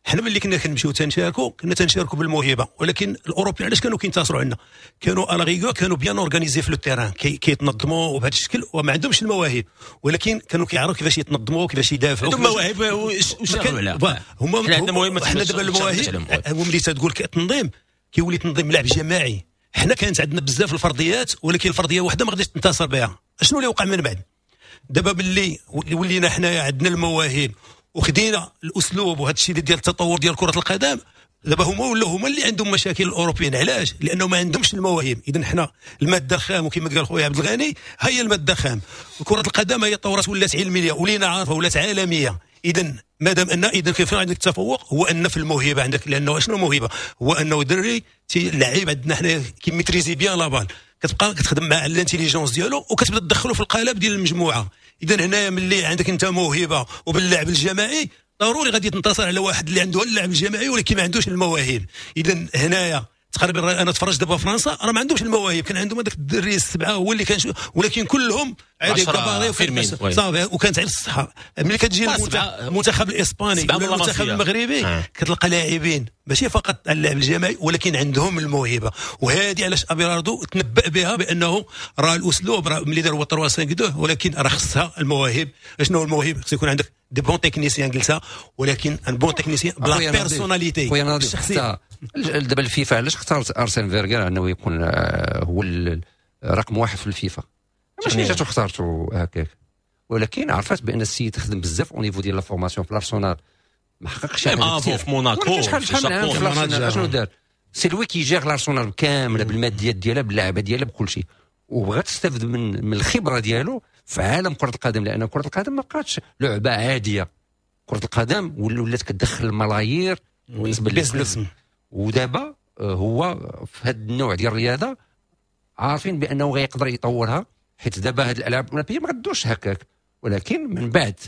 حنا ملي كنا كنمشيو تنشاركوا كنا تنشاركوا بالموهبه، ولكن الاوروبيين علاش كانوا كينتصروا عندنا؟ كانوا à la rigueur كانوا bien organisés في le terrain، كيتنظموا وبهذا الشكل وما عندهمش المواهب، ولكن كانوا كيعرفوا كيفاش يتنظموا كيفاش يدافعوا. عندهم مواهب وشغلوا عليها هما. حنا عندنا مواهب، حنا دابا المواهب هو ملي تقول التنظيم كيولي تنظيم لعب جماعي. حنا كانت عندنا بزاف الفرديات، ولكن الفردية وحده ما غاديش تنتصر بها. شنو اللي وقع من بعد؟ دابا باللي ولينا حنايا عندنا المواهب وخدينا الاسلوب وهذا الشيء ديال التطور ديال كره القدم، دابا هما ولاو هما اللي عندهم مشاكل الاوروبيين. علاش؟ لانه ما عندهمش المواهب. اذا حنا المادة الخام، وكما قال خويا عبد الغني هي المادة الخام. كره القدم هي طورات ولات علمية ولينا عارفه ولات عالمية. اذا مادام ان اذا كيف عندك التفوق هو ان في الموهبة عندك، لانه شنو الموهبة؟ هو انه دري اللعيب عندنا حنا كي maîtriser bien la balle، كتبقى كتخدم مع l'intelligence ديالو وكتبدا تدخلو في القالب ديال المجموعة. اذا هنايا ملي عندك انت موهبة وباللعب الجماعي ضروري غادي تنتصر على واحد اللي عنده اللعب الجماعي ولكن ما عندوش المواهب. اذا هنايا تقريبا انا تفرجت دابا فرنسا راه ما عندهمش المواهب، كان عندهم هذاك الدري السبعة هو اللي كان، ولكن كلهم عادي كباري صافي وكانت على الصحة. ملي كتجي المنتخب الاسباني ولا المنتخب المغربي آه. كتلقى لاعبين ماشي فقط على اللعب الجماعي ولكن عندهم الموهبة. وهذه علاش ابيلاردو تنبأ بها بانه راه الاسلوب راه ملي دار هو ثلاثة خمسة اثنين، ولكن راه خصها المواهب. شنو هو المواهب؟ خص يكون عندك des bons techniciens قلتها، ولكن un bon technicien ب la personnalité الشخصية. دابا الفيفا علاش اختارت ارسين فيرغر انه يكون هو رقم واحد في الفيفا؟ ماشي جاتو اختارته هكاك، ولكن عرفت بان السيد خدم بزاف au niveau ديال la formation في الارسنال، ما حققش شي حاجة في موناكو شحال شحال من عام في الارسنال شنو دار؟ c'est lui qui gère الارسنال كاملة بالماديات ديالها باللعبة ديالها بكل شيء، وبغات تستافد من من الخبرة ديالو في عالم كره القدم، لان كره القدم ما بقاتش لعبه عادية. كره القدم ولات كتدخل الملايير بالنسبة لل business. ودابا هو في هذا النوع ديال الرياضة عارفين بانه غيقدر يطورها، حيت دابا هاد الالعاب الاولمبية ما غدوش هكاك، ولكن من بعد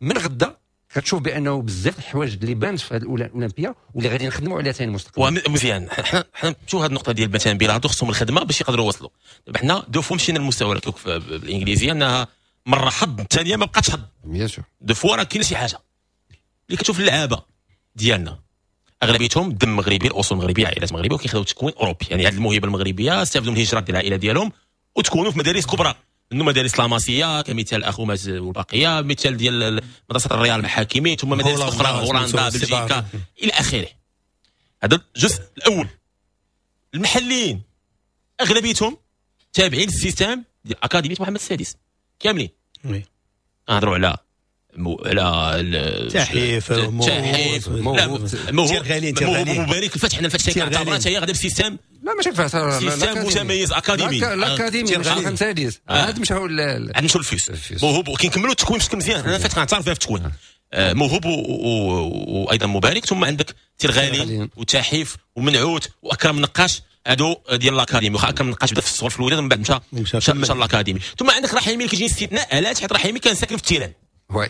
من غدا كتشوف بانه بزاف الحوايج اللي بانت في هذه الاولمبية واللي غادي نخدموا عليها ثاني المستقبل. ومزيان حنا حنا نمشيو هذه النقطة ديال مثلا بيلاردو خصهم الخدمة باش يقدروا يوصلوا. دابا حنا deux fois مشينا للمستوى بالانجليزية انها مرة حظ الثانية ما بقاتش حظ، bien sûr deux fois راه كاينه شي حاجة اللي كتشوف اللعابه ديالنا اغلبيتهم دم مغربي، الاصول مغربية، عائلات مغربية، وكيخداو تكوين اوروبي. يعني هذه الموهبة المغربية استافدوا من الهجرات ديال العائلة ديالهم وتكونوا في مدارس كبرى، انه مدارس لاماسيا كمثال اخوماز والبقية، مثال ديال مدرسه الريال مع حكيمي، ثم مدارس اخرى هولندا بلجيكا الى اخره. هذا الجزء الاول. المحليين اغلبيتهم تابعين لل système ديال اكاديمية محمد السادس كاملين. نهضروا على مو على تحيف تحيف مبارك الفتح. حنا الفتح كنعتبرها حتى هي غادا ب système لا ماشي الفاس، système متميز académie، l'académie ماشي الخمسة عاد مشاو عاد مشاو الفيس. موهوب كنكملوا التكوين بشكل مزيان، انا فات كنعترف فيها في التكوين. موهوب وايضا مبارك، ثم عندك تيرغالي وتحيف ومنعوت واكرم نقاش، هادو ديال l'académie. واخا اكرم نقاش بدا في الصغر في الوداد ومن بعد مشى مشى l'académie. ثم عندك رحيمي اللي كيجي استثناء، علاش؟ حيت رحيمي كان ساكن في ال terrain.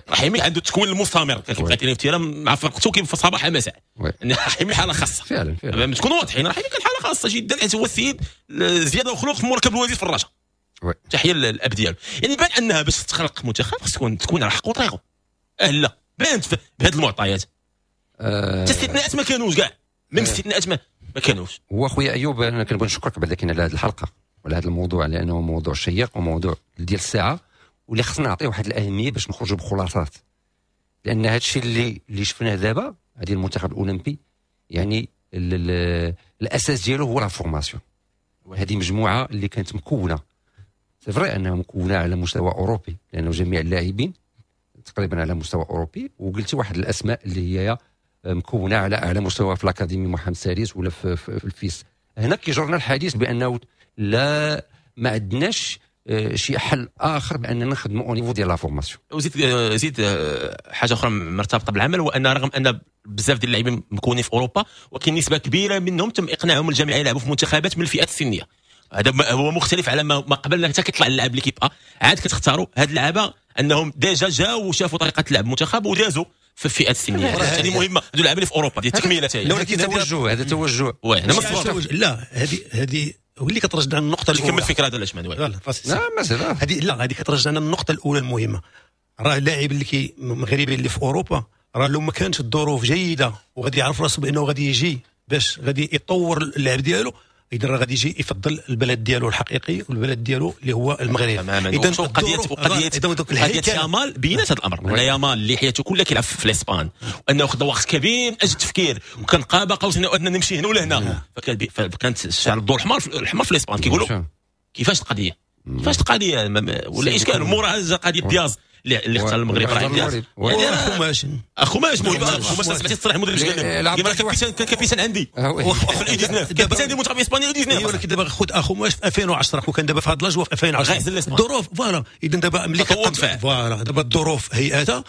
رحيمي عنده التكوين المستمر، كان كيبقى يترين في ال terrain مع فرقته كيف في صباح مساء. رحيمي حاله خاصة فعلا فعلا، تكونوا واضحين، رحيمي كان حاله خاصة جدا، حيت هو السيد زيادة وخلوق في مركب الوزير في الرجاء. تحية للاب ديالو. يعني بان انها باش تخلق منتخب خص تكون تكون على حق وطريقه. لا بانت بهذه المعطيات. حتى الاستثناءات ما كانوش كاع، même الاستثناءات ما ما كانوش. هو خويا ايوب انا كنبغي نشكرك بعدا كاين على هذه الحلقة وعلى هذا الموضوع، لانه موضوع شيق وموضوع ديال الساعة، واللي خصنا نعطيه واحد الاهمية باش نخرجوا بخلاصات، لان هذا الشيء اللي اللي شفناه دابا هذه المنتخب الاولمبي يعني ال ال الاساس ديالو هو la formation. هذه مجموعة اللي كانت مكونة، c'est vrai انها مكونة على مستوى اوروبي، لانه جميع اللاعبين تقريبا على مستوى اوروبي، وقلتي واحد الاسماء اللي هي مكونة على اعلى مستوى في l'académie محمد السادس ولا في, في, في الفيس. هنا كيجرنا الحديث بانه لا ما عندناش شي حل اخر باننا نخدموا au niveau ديال la formation. وزيد زيد حاجة اخرى مرتبطة بالعمل، هو ان رغم ان بزاف ديال اللاعبين مكونين في اوروبا، ولكن نسبه كبيرة منهم تم اقناعهم الجامعة يلعبوا في منتخبات من الفئات السنية. هذا هو مختلف على ما قبل، حتى كيطلع اللاعب l'équipe A عاد كتختاروا هاد اللعابه انهم déjà جاوا وشافوا طريقه لعب المنتخب ودازوا في الفئات السنية. هذه مهمة، هذو اللعابه اللي في اوروبا ديال التكميله تاعي. ولكن توجه، هذا توجه لا هذه هذه هو اللي كترجعنا للنقطة الاولى. كمل الفكرة هذا علاش لا لا هذه لا هذه كترجعنا للنقطة الاولى المهمة. راه اللاعب اللي كي مغربي اللي في اوروبا راه لو ما كانتش الظروف جيدة وغادي يعرف راسو بانه غادي يجي باش غادي يطور اللعب ديالو، اذا راه غادي يجي يفضل البلد ديالو الحقيقي والبلد ديالو اللي هو المغرب. اذا قضية قضية قضية يامال بينات هذا الامر، ان يامال اللي حياته كلها كيلعب في الاسبان، وانه خد وقت كبير من اجل التفكير، وكان قاب قوسين او ادنى نمشي هنا ولا هنا، فكانت الشعر الدور الحمار الحمار في الاسبان. كيقولوا كيفاش القضية، كيفاش القضية ولا اشكال موراها قضية دياز اللي اختار المغرب راه دياز اخوماش اخوماش مهم. اخوماش سمعتي تصريح المدرب قال كان capitaine عندي في ال U تسعطاش، capitaine ديال المنتخب الاسباني U تسعطاش. ولكن دابا خذ اخوماش في ألفين وعشرة وكان دابا في هذا l'âge في ألفين وعشرة الظروف voilà. اذا دابا ملي voilà دابا الظروف هيئتها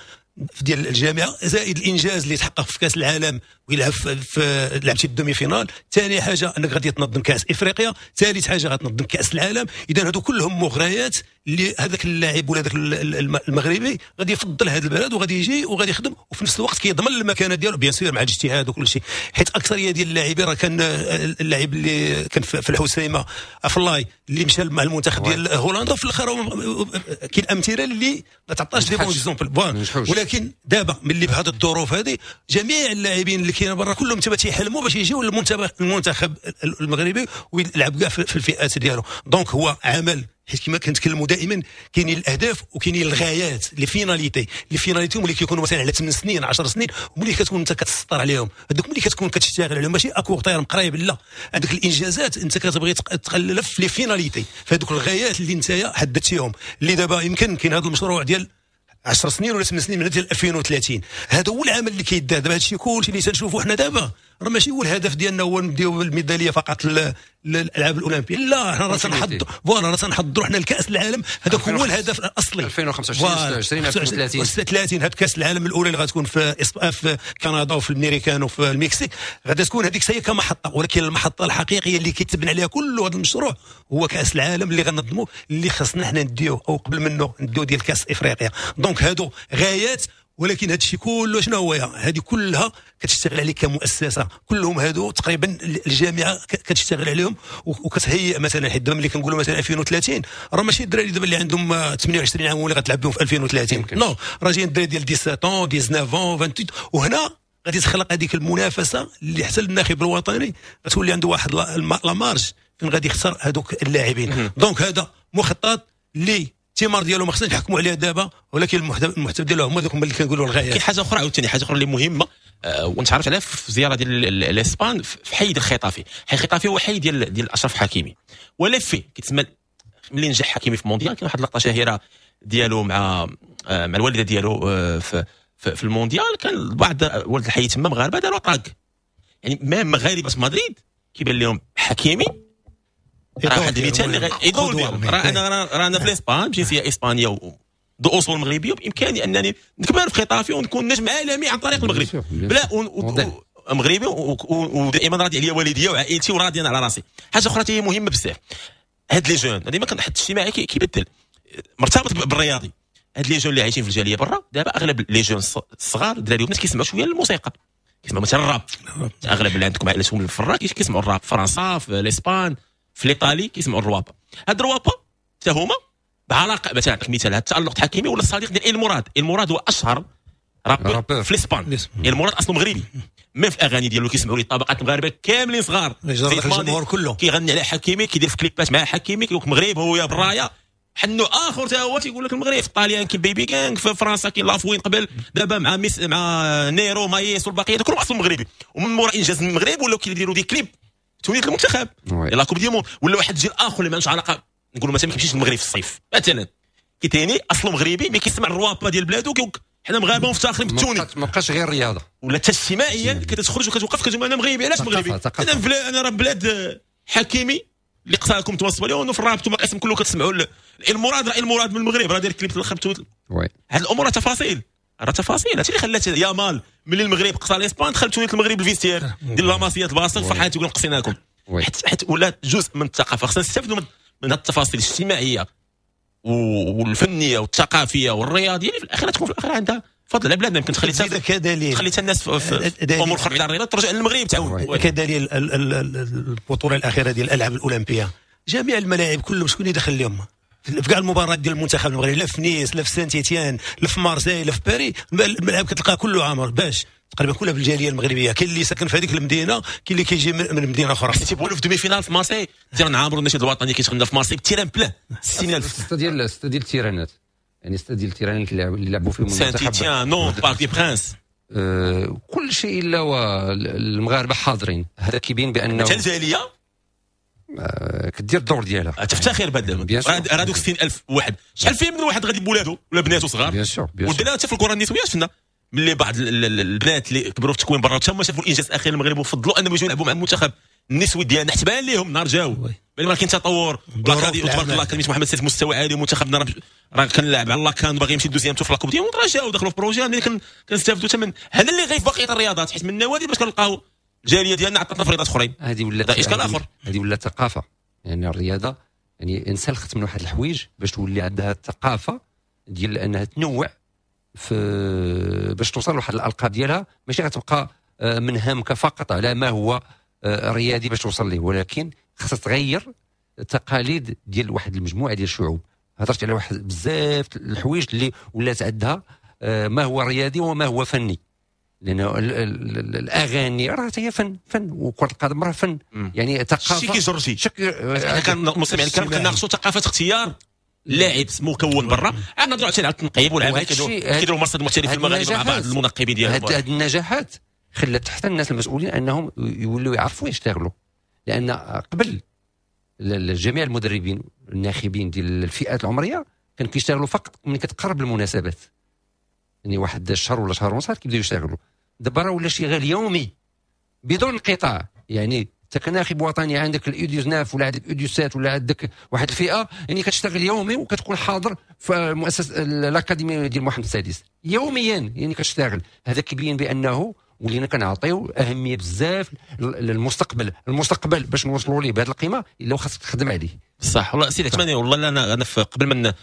ديال الجامعة زائد الانجاز اللي تحقق في كاس العالم ويلعب في, في لعبتي ال demi-finale، ثاني حاجة انك غادي تنظم كاس افريقيا، ثالث حاجة غتنظم كاس العالم. اذا هادو كلهم مغريات اللي هذاك اللاعب ولا هذاك المغربي غادي يفضل هذا البلد وغادي يجي وغادي يخدم، وفي نفس الوقت كيضمن المكانة ديالو bien sûr مع الاجتهاد وكل شيء. حيت اكثرية ديال اللاعبين راه كان اللاعب اللي كان في الحسيمه افلاي اللي مشى مع المنتخب ديال هولندا، في الاخر كاين امثلة اللي ما تعطاش des bons exemples. ولكن دابا ملي بهذه الظروف هذه جميع اللاعبين اللي كاينين برا كلهم تما تيحلموا باش يجيو للمنتخب المنتخب المغربي ويلعب كاع في الفئات ديالو. donc هو عمل، حيت كما كنتكلموا دائما كاينين الاهداف وكاينين الغايات، les finalités. les finalités ملي كيكونوا مثلا على ثمان سنين عشر سنين، وملي كتكون انت كتسطر عليهم هذوك، ملي كتكون كتشتغل عليهم ماشي à court terme قريب، لا عندك الانجازات انت كتبغي تقلل في les finalités، فهذوك الغايات اللي انت حددتيهم. اللي دابا يمكن كاين هذا المشروع ديال عشر سنين ولا ثمان سنين من ديال ألفين وثلاثين، هذا هو العمل اللي كيدار دابا. هادشي كلشي اللي تنشوفوا حنا دابا راه ماشي هو الهدف ديالنا هو نديو الميداليه فقط للالعاب الاولمبية، لا حنا راه تنحضروا voilà راه تنحضروا حنا لكاس العالم، هذاك هو الهدف الاصلي. ألفين وخمسة وعشرين ستة وعشرين ألفين وثلاثين ثلاثين هاد كاس العالم الاولى اللي غتكون في في كندا وفي الامريكان وفي المكسيك، غادي تكون هذيك هي كمحطه. ولكن المحطة الحقيقية اللي كيتبنى عليها كل هذا المشروع هو كاس العالم اللي غنظموه، اللي خصنا حنا نديوه او قبل منه نديو ديال كاس افريقيا. donc هادو غايات، ولكن هذا الشيء كله شنو هو؟ هذه كلها كتشتغل عليك كمؤسسة، كلهم هادو تقريبا الجامعة كتشتغل عليهم وكتهيئ. مثلا حيت دابا ملي كنقولوا مثلا ألفين وثلاثين راه ماشي الدراري دابا اللي عندهم ثمانية وعشرين عام اللي غتلعب بهم في ألفين وثلاثين، non راه جايين الدراري ديال سبعطاش تسعطاش ثمانية عشر، وهنا غادي تخلق هذيك المنافسة اللي حتى الناخب الوطني غتولي عنده واحد la marge فين غادي يخسر هذوك اللاعبين. donc هذا مخطط اللي الثمار ديالو ما خصناش نحكموا عليها دابا، ولكن المحتوى ديالو هما دوك اللي كنقولوا الغايات. كاين حاجة اخرى عاوتاني، حاجة اخرى اللي مهمة أه ونتعرف عليها في زيارة ديال الاسبان في حي ديال الخطافي. حي الخطافي هو حي ديال ديال اشرف حكيمي، ولا في كيتسمى ملي نجح حكيمي في مونديال كاين واحد اللقطة شهيرة ديالو مع آه مع الوالدة ديالو آه في, في, في المونديال، كان بعض ولد الحي تما مغاربة داروا tag، يعني même مغاربة في مدريد كيبان لهم حكيمي راه واحد المثال اللي يدور بهم. راه انا راه انا في الاسبان بجنسيه اسبانية ذو اصول مغربية، وبامكاني انني نكبر في خطافي ونكون نجم عالمي عن طريق المغرب بلا مغربي، ودائما راضي عليا والديا وعائلتي وراضي انا على راسي. حاجة اخرى هي مهمة بزاف، هاد les jeunes ديما كنحط الاجتماعي كيبدل مرتبط بالرياضي. هاد les jeunes اللي عايشين في الجالية برا دابا اغلب les jeunes الصغار الدراري والبنات كيسمعوا شوية الموسيقى، كيسمعوا مثلا الراب. اغلب اللي عندكم عائلتهم في الراب كيسمعوا الراب في فرنسا، في الاسبان، في الايطالي كيسمعوا الروابا. هاد الروابا حتى هما بعلاقة، مثلا نعطيك مثال، هاد التالق حكيمي ولا الصديق ديال المراد. المراد هو اشهر rappeur في الاسبان. المراد اصله مغربي، même في الاغاني ديالو كيسمعوا لي الطبقات المغاربة كاملين صغار، الجمهور كله كيغني على حكيمي، كيدير في كليبات مع حكيمي، كيقول لك مغرب هو يا برايه. حنو اخر حتى هو تيقول لك المغرب. في الطاليان كاين بيبي كانغ، في فرنسا كاين لافوين قبل، دابا مع ميس مع نيرو مايس والبقية كلهم اصلا مغربي. ومن مورا انجاز المغرب ولاو كيديروا des clips تونيت المنتخب la Coupe du Monde. ولا واحد الجيل اخر اللي ما عندوش علاقة، نقولوا مثلا ما كيمشيش للمغرب في الصيف مثلا، كيتاني اصله مغربي mais كيسمع الروابا ديال بلادو، كيقول حنا مغاربة ومفتخرين بالتوني. ما بقاش غير رياضة ولا حتى اجتماعيا كتخرج وكتوقف كتقول انا مغربي. علاش مغربي؟ انا انا راه بلاد حكيمي اللي قصاكم توصلوا ليه في الراب انتم قسم كله كتسمعوا المراد، راه المراد من المغرب راه داير كليب في الاخر. هاد الامور تفاصيل، راه تفاصيل. هادشي اللي خلات يامال ملي المغرب قصى الاسبان دخل تونيت المغرب ال vestiaire ديال لاماسيات البلاصة فرحان تيقول قصيناكم. حيت حيت ولات جزء من الثقافة. خصنا نستافدوا من من هاد التفاصيل الاجتماعية والفنية والثقافية والرياضيه اللي في الاخير تكون في الاخير عندها فضل على بلادنا. يمكن تخلي كدليل تخلي حتى الناس في امور اخرى على الرياضة ترجع للمغرب تعاون. كدليل البطولة الاخيرة ديال الالعاب الاولمبية، جميع الملاعب كلهم شكون اللي دخل لهم في كاع المباريات ديال المنتخب المغربي، لا في نيس لا في سانت ايتيان لا في مارسيل لا في باريس، الملعب كتلقاه كله عامر. باش تقريبا كلها بالجاليه المغربية، كاين اللي ساكن في هذيك المدينة، كاين اللي كيجي من مدينة اخرى. تيبولوا في demi-finale في مارسيل، terrain عامر النشيد الوطني كيشغلنا في مارسيل terrain plein ستين ألف. ستة ديال ستة ديال التيرانات، يعني ستة ديال التيرانات اللي لعبوا فيهم سانت ايتيان، نونت، بارك دي برانس، أه كل شيء الا والمغاربة حاضرين. هذا كيبين بانه حتى الجالية أه كدير الدور ديالها، تفتخر بهذا. راه دوك ستين ألف واحد، شحال فيه من واحد غادي بولادو ولا بناتو صغار؟ bien sûr. والدليل حتى في الكره النسوية شفنا ملي بعض البنات اللي كبروا في التكوين برا تما شافوا الانجاز الاخير للمغرب وفضلوا انهم يجوا يلعبوا مع المنتخب النسوي ديالنا، حتى بان لهم نهار جاو بان كاين تطور. وتبارك الله كلمة محمد السادس مستوى عالي، ومنتخبنا راه كنلعب على la CAN باغي يمشي deuxième tour في la Coupe du Monde، راه جاو دخلوا في projet اللي كنستافدوا حتى من هذا اللي غير في بقية الرياضات، حيت من النوادي باش كنلقاو الجالية ديالنا عطاتنا في رياضات اخرين. هذه ولات اشكال اخر، هذه ولات ثقافة. يعني الرياضة يعني انسلخت من واحد الحوايج باش تولي عندها الثقافة ديال انها تنوع في باش توصل لواحد الالقاب ديالها، ماشي غتبقى منهمكه فقط على ما هو رياضي باش توصل ليه، ولكن خاصها تغير التقاليد ديال واحد المجموعة ديال الشعوب. هضرت على واحد بزاف الحوايج اللي ولات عندها ما هو رياضي وما هو فني، لان الاغاني راه هي فن فن، وكره القدم راه فن. يعني ثقافة شي كيجر شي. حنا كنمستمعين الكرام كنناقشوا ثقافة اختيار لاعب مكون برا، عاد نهضروا على التنقيب والعمل كيديروا مرصد المحترف المغاربة مع بعض المنقبين ديالهم. هاد النجاحات خلت حتى الناس المسؤولين انهم يولوا يعرفوا يشتغلوا، لان قبل جميع المدربين الناخبين ديال الفئات العمرية كانوا كيشتغلوا فقط ملي كتقرب المناسبات، يعني واحد الشهر ولا شهر ونص كيبداو يشتغلوا. دابا راه ولا شغال يومي بدون انقطاع. يعني انت كناخب وطني عندك ال U تسعة ولا عندك ال U سبعة ولا عندك واحد الفئة، يعني كتشتغل يومي وكتكون حاضر في مؤسسة الاكاديمية ديال محمد السادس يوميا، يعني كتشتغل. هذا كيبين بانه ولينا كنعطيو اهمية بزاف للمستقبل. المستقبل باش نوصلوا ليه بهذه القيمة الا خاصك تخدم عليه. صح والله سيدي عثماني. والله انا انا قبل ما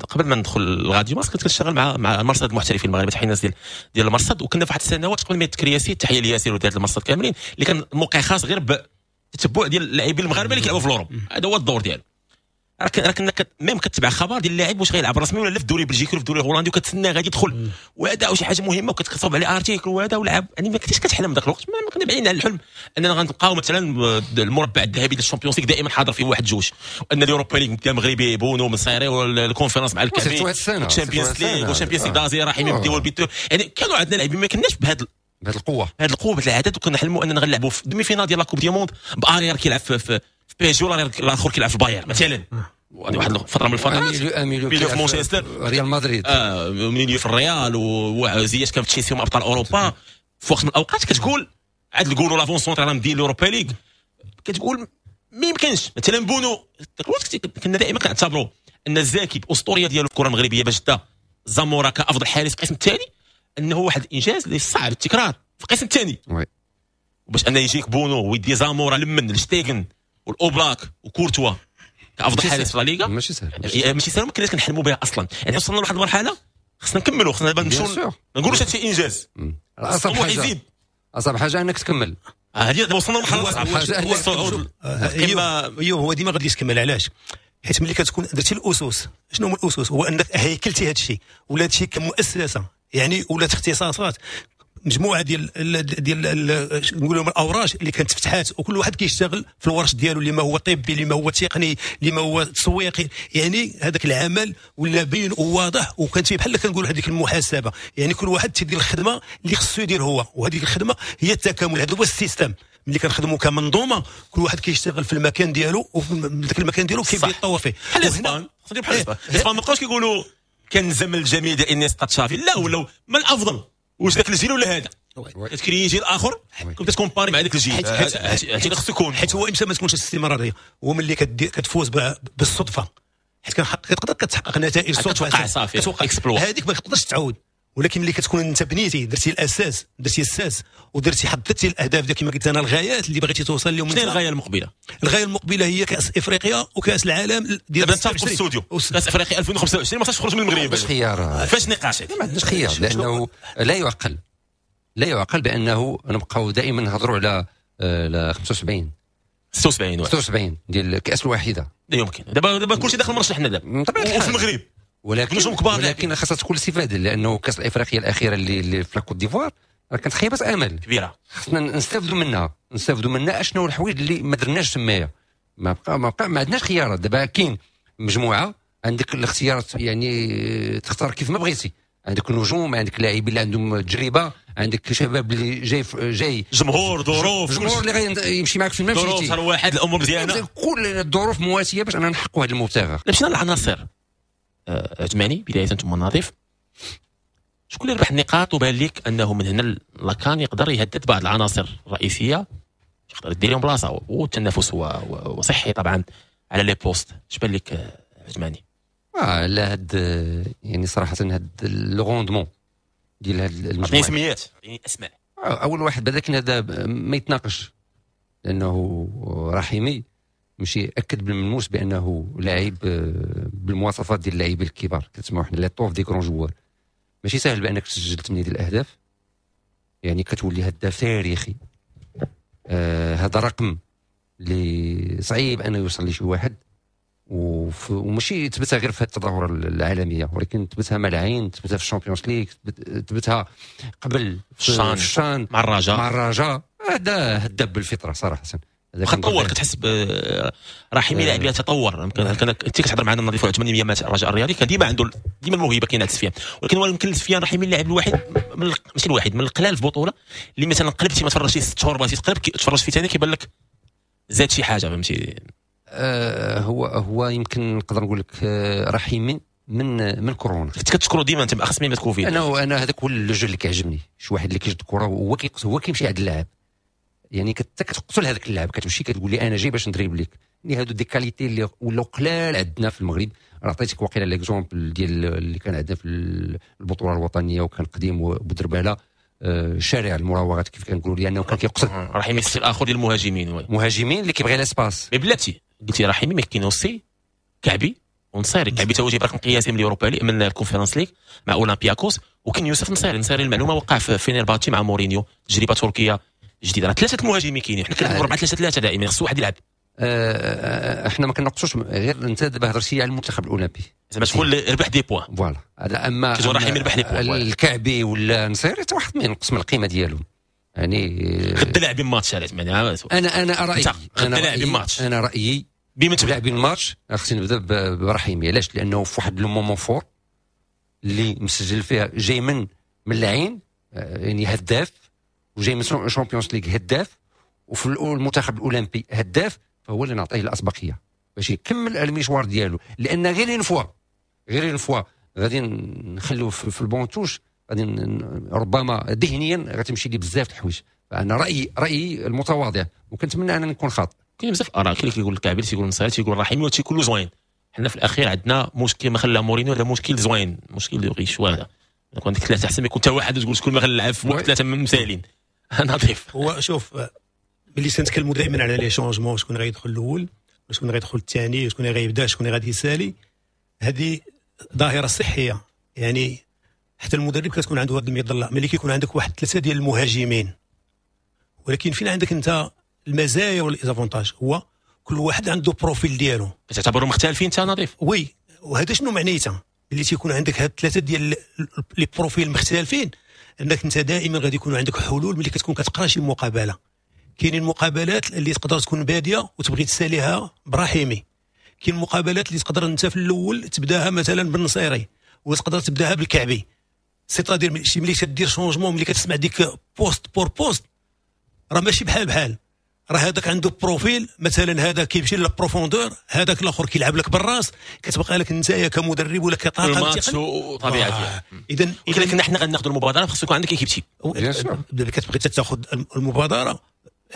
قبل ما ندخل الراديو مارس كنت كنشتغل مع مع المرصد المحترفين المغاربة، تحية الناس ديال ديال المرصد. وكنا في واحد السنوات قبل ما يتكرياسي، تحية لياسر وديال المرصد كاملين، اللي كان موقع خاص غير بالتتبع ديال اللاعبين المغاربة اللي كيلعبوا في l'Europe. هذا هو الدور ديالو. راه كنا même كتبع خبر ديال اللاعب واش غيلعب رسمي ولا لا في الدوري البلجيكي ولا في الدوري الهولندي، وكتسنى غادي يدخل وهذا شي حاجة مهمة وكتكتب عليه article وهذا ولعب. يعني ما كنتيش كتحلم ذاك الوقت، ما كنا بعيدين على الحلم اننا غنلقاو مثلا المربع الذهبي ديال ال Champions League دائما حاضر فيه واحد جوج، وان ال Europa League المغربي بونو من صيري وال Conférence مع الكافي ال Champions League وال Champions League d'Asie راح يبداو البيتو. يعني كانوا عندنا لاعبين ما كناش بهذا بهذه القوة بهذه القوة بهذا العدد، وكنا نحلموا اننا غنلعبوا في demi-finale ديال la Coupe du Monde ب arrière كيلعب في في PSG ولا الاخر كيلعب في بايرن مثلا. وهذه واحد الفترة من الفترات milieu في مانشستر ريال مدريد، اه milieu في الريال، وزياش كان في تشيلسي ابطال اوروبا. في وقت من الاوقات كتقول عاد نقولوا l'avant-centre راه مدير l'Europa League، كتقول ما يمكنش. مثلا بونو كنا دائما كنعتبروا ان الزاكي باسطوريه ديالو الكره المغربية باش دا زامورا كافضل حارس في القسم الثاني، انه واحد الانجاز اللي صعب التكرار في القسم الثاني. باش ان يجيك بونو ويدي زامورا لمن لشتيغن والاوبلاك وكورتوا كافضل حارس في لا ليغا، ماشي سهل، ماشي سهل، ما كناش كنحلموا بها اصلا. يعني وصلنا لواحد المرحلة خصنا نكملوا، خصنا دابا نمشيو ما نقولوش هادشي انجاز. اصعب حاجة اصعب حاجة انك تكمل. هذه دابا وصلنا لمرحلة صعبة، هو الصعود. ايوا هو ديما غادي تكمل. علاش؟ حيت ملي كتكون درتي الاسس، شنو هما الاسس؟ هو انك هيكلتي هذا الشيء ولا هادشي كمؤسسة، يعني ولات اختصاصات، مجموعة ديال ديال نقولوا الاوراش اللي كانت فتحات، وكل واحد كيشتغل في الورش ديالو، اللي ما هو طبي، اللي ما هو تقني، اللي ما هو تسويقي. يعني هذاك العمل ولا باين وواضح، وكانت فيه بحال كنقولوا هذيك المحاسبة، يعني كل واحد تيدير الخدمة اللي خصو يدير هو، وهذيك الخدمة هي التكامل. هذا هو ال système ملي كنخدموا كمنظومة، كل واحد كيشتغل في المكان ديالو، وفي ذاك المكان ديالو كيبدا يتطور فيه. بحال الاسبان، بحال الاسبان الاسبان ما بقاوش كيقولوا كان الزمن الجميل ديال انيستا تشافي، لا ولاو من الافضل واش ذاك الجيل ولا هذا، كتكري جيل اخر كنت ت comparer مع ذاك الجيل. هادشي اللي خصو يكون، حيت هو امتى ما تكونش الاستمرارية هو ملي كتفوز بالصدفة، حيت كتقدر كتحقق نتائج صدفة، كتوقع صافي exploit، هذيك ما تقدرش تعاود. ولكن ملي كتكون انت بنيتي، درتي الاساس، درتي الساس، ودرتي حددتي الاهداف ديالك كما قلت انا، الغايات اللي بغيتي توصل لهم. شنو هي الغاية المقبلة؟ الغاية المقبلة هي كاس افريقيا وكاس العالم ديال دابا نتفقوا في الاستوديو، كاس افريقيا ألفين وخمسة وعشرين ما خصهاش تخرج من المغرب. باش خيار، فاش نقاش؟ ما عندناش خيار، لانه لا يعقل، لا يعقل بانه نبقاو دائما نهضروا على خمسة وسبعين ستة وسبعين ستة وسبعين ديال الكاس الواحدة. لا يمكن. دابا دابا كلشي داخل مرشح حنا دابا وفي المغرب، ولكن ولكن خاصها تكون الاستفادة، لانه كاس الافريقيا الاخيرة اللي, اللي في la Côte d'Ivoire راه كانت خيبه امل كبيرة، خصنا نستافدوا منها، نستافدوا منها اشنو الحوايج اللي ما درناش تمايا. ما بقى ما بقى ما عندناش خيارات. دابا كاين مجموعة عندك الاختيارات، يعني تختار كيف ما بغيتي، عندك نجوم، عندك لاعبين اللي عندهم تجربه، عندك شباب اللي جاي جاي جمهور، ظروف، جمهور اللي غيمشي معك في الممشي، ظروف واحد الامور مزيانه، كل الظروف مواتيه باش اننا نحققوا هذه المبتغى. مشينا للعناصر عثماني بداية ثم نظيف، شكون اللي ربح النقاط وبان لك انه من هنا la CAN يقدر يهدد بعض العناصر الرئيسية، يقدر يدير لهم بلاصة، والتنافس هو وصحي طبعا على les postes. اش بان لك عثماني؟ اه لا، هاد يعني صراحة هاد le rendement ديال هاد المجموعة، سميات يعني اسماء. اول واحد بدا كان هذا ما يتناقش، لانه رحيمي ماشي اكد بالملموس بانه لاعب بالمواصفات ديال اللاعبين الكبار، كتسمعوا حنا l'étoffe des grands joueurs. ماشي سهل بانك تسجل ثمانية ديال الاهداف، يعني كتولي هداف تاريخي. آه هذا رقم اللي صعيب انه يوصل لشي واحد، وماشي تثبتها غير في التظاهرة العالمية، ولكن تثبتها مع العين، تثبتها في ال Champions League، تثبتها قبل في الشان مع الرجاء، مع الرجاء. هذا هداف بالفطرة صراحة. واخا تطور، كتحس رحيمي لاعب يتطور. يمكن كان انت كتهضر معنا نظيف عثماني مع الرجاء الرياضي، كان ديما عنده ديما الموهبة كاينه عند سفيان، ولكن هو يمكن سفيان رحيمي اللاعب الوحيد من ماشي الوحيد من القلال في البطولة اللي مثلا قلبتي ما تفرجتي ست شهور بغيتي تقلب تفرج فيه ثاني كيبان لك زاد شي حاجة، فهمتي؟ آه هو هو يمكن نقدر نقول لك رحيمي من من كورونا كنت كتشكرو ديما انت باخص من كوفيد. انا انا هذاك هو le jeu اللي كيعجبني، شي واحد اللي كيجد الكره وهو هو كيمشي عند اللاعب، يعني كتقتل هذاك اللاعب، كتمشي كتقول لي انا جاي باش ندريب لك. يعني هادو des qualités اللي ولاو قلال عندنا في المغرب. راه عطيتك واقيلا l'exemple ديال اللي كان عندنا في البطولة الوطنية وكان قديم بودرباله، شارع المراوغات كيف كنقولوا، لانه كان كيقصد رحيمي ال style الاخر ديال المهاجمين، مهاجمين اللي كيبغي l'espace. mais بلاتي قلتي رحيمي، ما كاين aussi كعبي ونصيري. كعبي تا هو جايب رقم قياسي من ال Europa League، من ال Conference League مع اولمبياكوس، وكاين يوسف نصيري. نصيري المعلومة وقع في فينيرباتشي مع مورينيو، تجربه تركيه جديدة. راه ثلاثة المهاجمين كاينين، حنا كنلعبوا أربعة ثلاثة ثلاثة دائما، خص واحد يلعب. أه احنا ما كنقصوش غير انت دابا هضرتي على المنتخب الاولمبي، زعما شكون اللي ربح des points، voilà. هذا اما رحيمي ربح les points، الكعبي ولا نصيري حتى واحد ما ينقص من القيمة ديالو. يعني غدا لاعبين ماتش علاش معناها انا انا رايي انا لاعبين ماتش، انا رايي بما لاعبين الماتش خصني نبدا برحيمي. علاش؟ لانه في واحد le moment fort اللي مسجل فيها جاي من من العين، يعني هداف، وجاي من Champions League هداف، وفي المنتخب الاولمبي هداف، فهو اللي نعطيه الاسبقيه باش يكمل المشوار ديالو. لان غير une fois غير une fois غادي نخلوه في ال banc de touche، غادي ربما ذهنيا غتمشي ليه بزاف الحوايج. فانا رايي رايي المتواضع وكنتمنى ان نكون خاطئ. كاين بزاف اراء، كاين اللي كيقول الكعبي، تيقول النصيري، تيقول الرحيمي، وهادشي كله زوين. حنا في الاخير عندنا مشكل ما خلى مورينيو، هذا مشكل زوين، مشكل اللي بغي شوية هذا يكون عندك ثلاثة احسن ما يكون حتى واحد تقول شكون ما غنلعب في وقت ثلاثة مسالين. نظيف. هو شوف ملي تنتكلموا دائما على les changements، شكون غيدخل الاول شكون غيدخل الثاني شكون غيبدا شكون غادي يسالي، هذه ظاهره صحية. يعني حتى المدرب كتكون عنده هذه المظلة ملي كيكون عندك واحد ثلاثة ديال المهاجمين، ولكن فين عندك انت المزايا و les avantages؟ هو كل واحد عنده profil ديالو. تعتبروا مختلفين انت نظيف؟ oui، وهذا شنو معنيته؟ ملي تيكون عندك هاد ثلاثة ديال les profils مختلفين، انك انت دائما غادي يكون عندك حلول ملي كتكون كتقرا شي مقابله. كاينين مقابلات اللي تقدر تكون باديه وتبغي تساليها براحيمي، كاين مقابلات اللي تقدر انت في الاول تبداها مثلا بالنصيري وتقدر تبداها بالكعبي. c'est-à-dire شي ملي كدير changement، ملي كتسمع ديك poste pour poste، راه ماشي بحال بحال، راه هذاك عنده profil مثلا، هذا كيمشي لل profondeur، هذاك الاخر كيلعب لك بالراس، كتبقى لك انت كمدرب ولا كطاقم تقني وطبيعه. اذا اذا كنا حنا غناخذوا المبادرة خص يكون عندك équipe type. دابا كتبغي تاخذ المبادرة،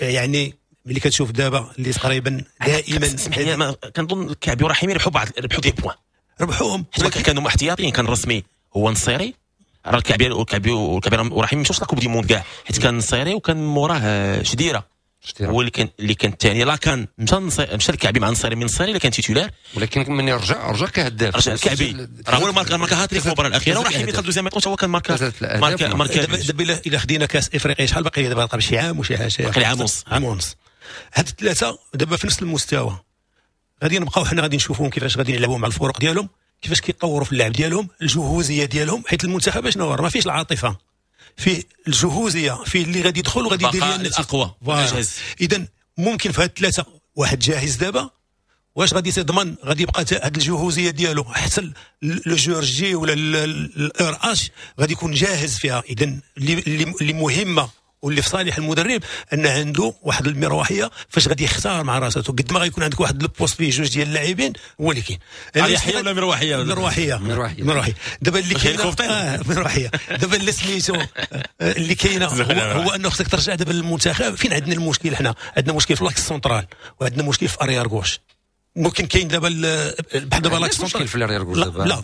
يعني ملي كتشوف دابا اللي تقريبا دائما اسمح لي، كنظن الكعبي ورحيمي ربحوا بعض، ربحوا des points، ربحوهم حيت كانوا احتياطيين. كان رسمي هو نصيري، راه الكعبي والكعبي والكعبي ورحيمي مشاوش la Coupe du monde كاع، حيت كان نصيري وكان موراه شديره هو اللي كان اللي كان الثاني. لا كان مشى مشى الكعبي مع نصيري، من نصيري اللي كان titulaire، ولكن من يرجع رجع كهداف، رجع الكعبي راه هو ماركا ماركا هاتريك في المباراة الاخيرة، ورحيمي دخل deuxième mi-temps هو كان ماركا ماركا ماركا. دابا الا خدينا كاس افريقيا شحال باقي دابا؟ باقي شي عام وشي حاجة، باقي عام ونص. عام ونص. هاد الثلاثة دابا في نفس المستوى، غادي نبقاو حنا غادي نشوفوهم كيفاش غادي يلعبوا مع الفرق ديالهم، كيفاش كيطوروا في اللعب ديالهم، الجهوزيه ديالهم، حيت المنتخب شنو ما فيش العاطفة، فيه الجهوزيه، فيه اللي غادي يدخل وغادي يدير لنا الاقوى. اذا ممكن في هاد الثلاثة واحد جاهز دابا، واش غادي تضمن غادي يبقى هاد الجهوزيه ديالو حتى le jour J ولا l'heure H غادي يكون جاهز فيها؟ اذا اللي اللي مهمة واللي في صالح المدرب ان عنده واحد المروحيه فاش غادي يختار مع راسه. قد ما غيكون عندك واحد ال poste فيه جوج ديال اللاعبين هو اللي كاين. اريحية ولا مروحيه؟ مروحيه مروحيه. دابا اللي كاينه آه مروحيه. دابا اللي سميتو اللي كاينه هو, هو انه خصك ترجع دابا للمنتخب. فين عندنا المشكل؟ حنا عندنا مشكل في l'axe central وعندنا مشكل في arrière gauche. ممكن كاين دابا بحال دابا l'axe central في l'arrière gauche دابا لا,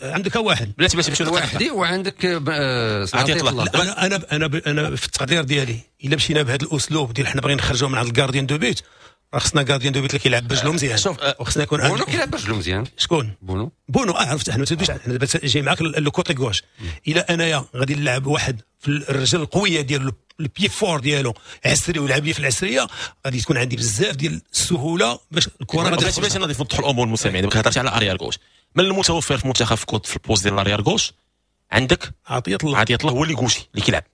لا عندك واحد بلاتي بلاتي باش واحد وعندك عطية الله. انا انا انا انا في التقدير ديالي الا مشينا بهذا الاسلوب ديال حنا باغيين نخرجوا من عند ال gardien de but، راه خصنا gardien de but اللي كيلعب برجلو مزيان. وخصنا يكون بونو كيلعب برجلو مزيان. شكون؟ بونو. بونو اه عرفت. حنا ما دابا جاي معاك le côté gauche. الا انايا غادي نلعب واحد في الرجل القوية ديال ال pied fort ديالو عسري ويلعب لي في العسريه، غادي تكون عندي بزاف ديال السهولة باش الكره غادي باش باش نضيف نوضحوا الامور المستمعين. دابا كهضرتي على arrière gauche، من المتوفر في المنتخب في côté في ال poste ديال l'arrière gauche عندك عطية الله. عطية الله هو اللي gaucher اللي كيلعب،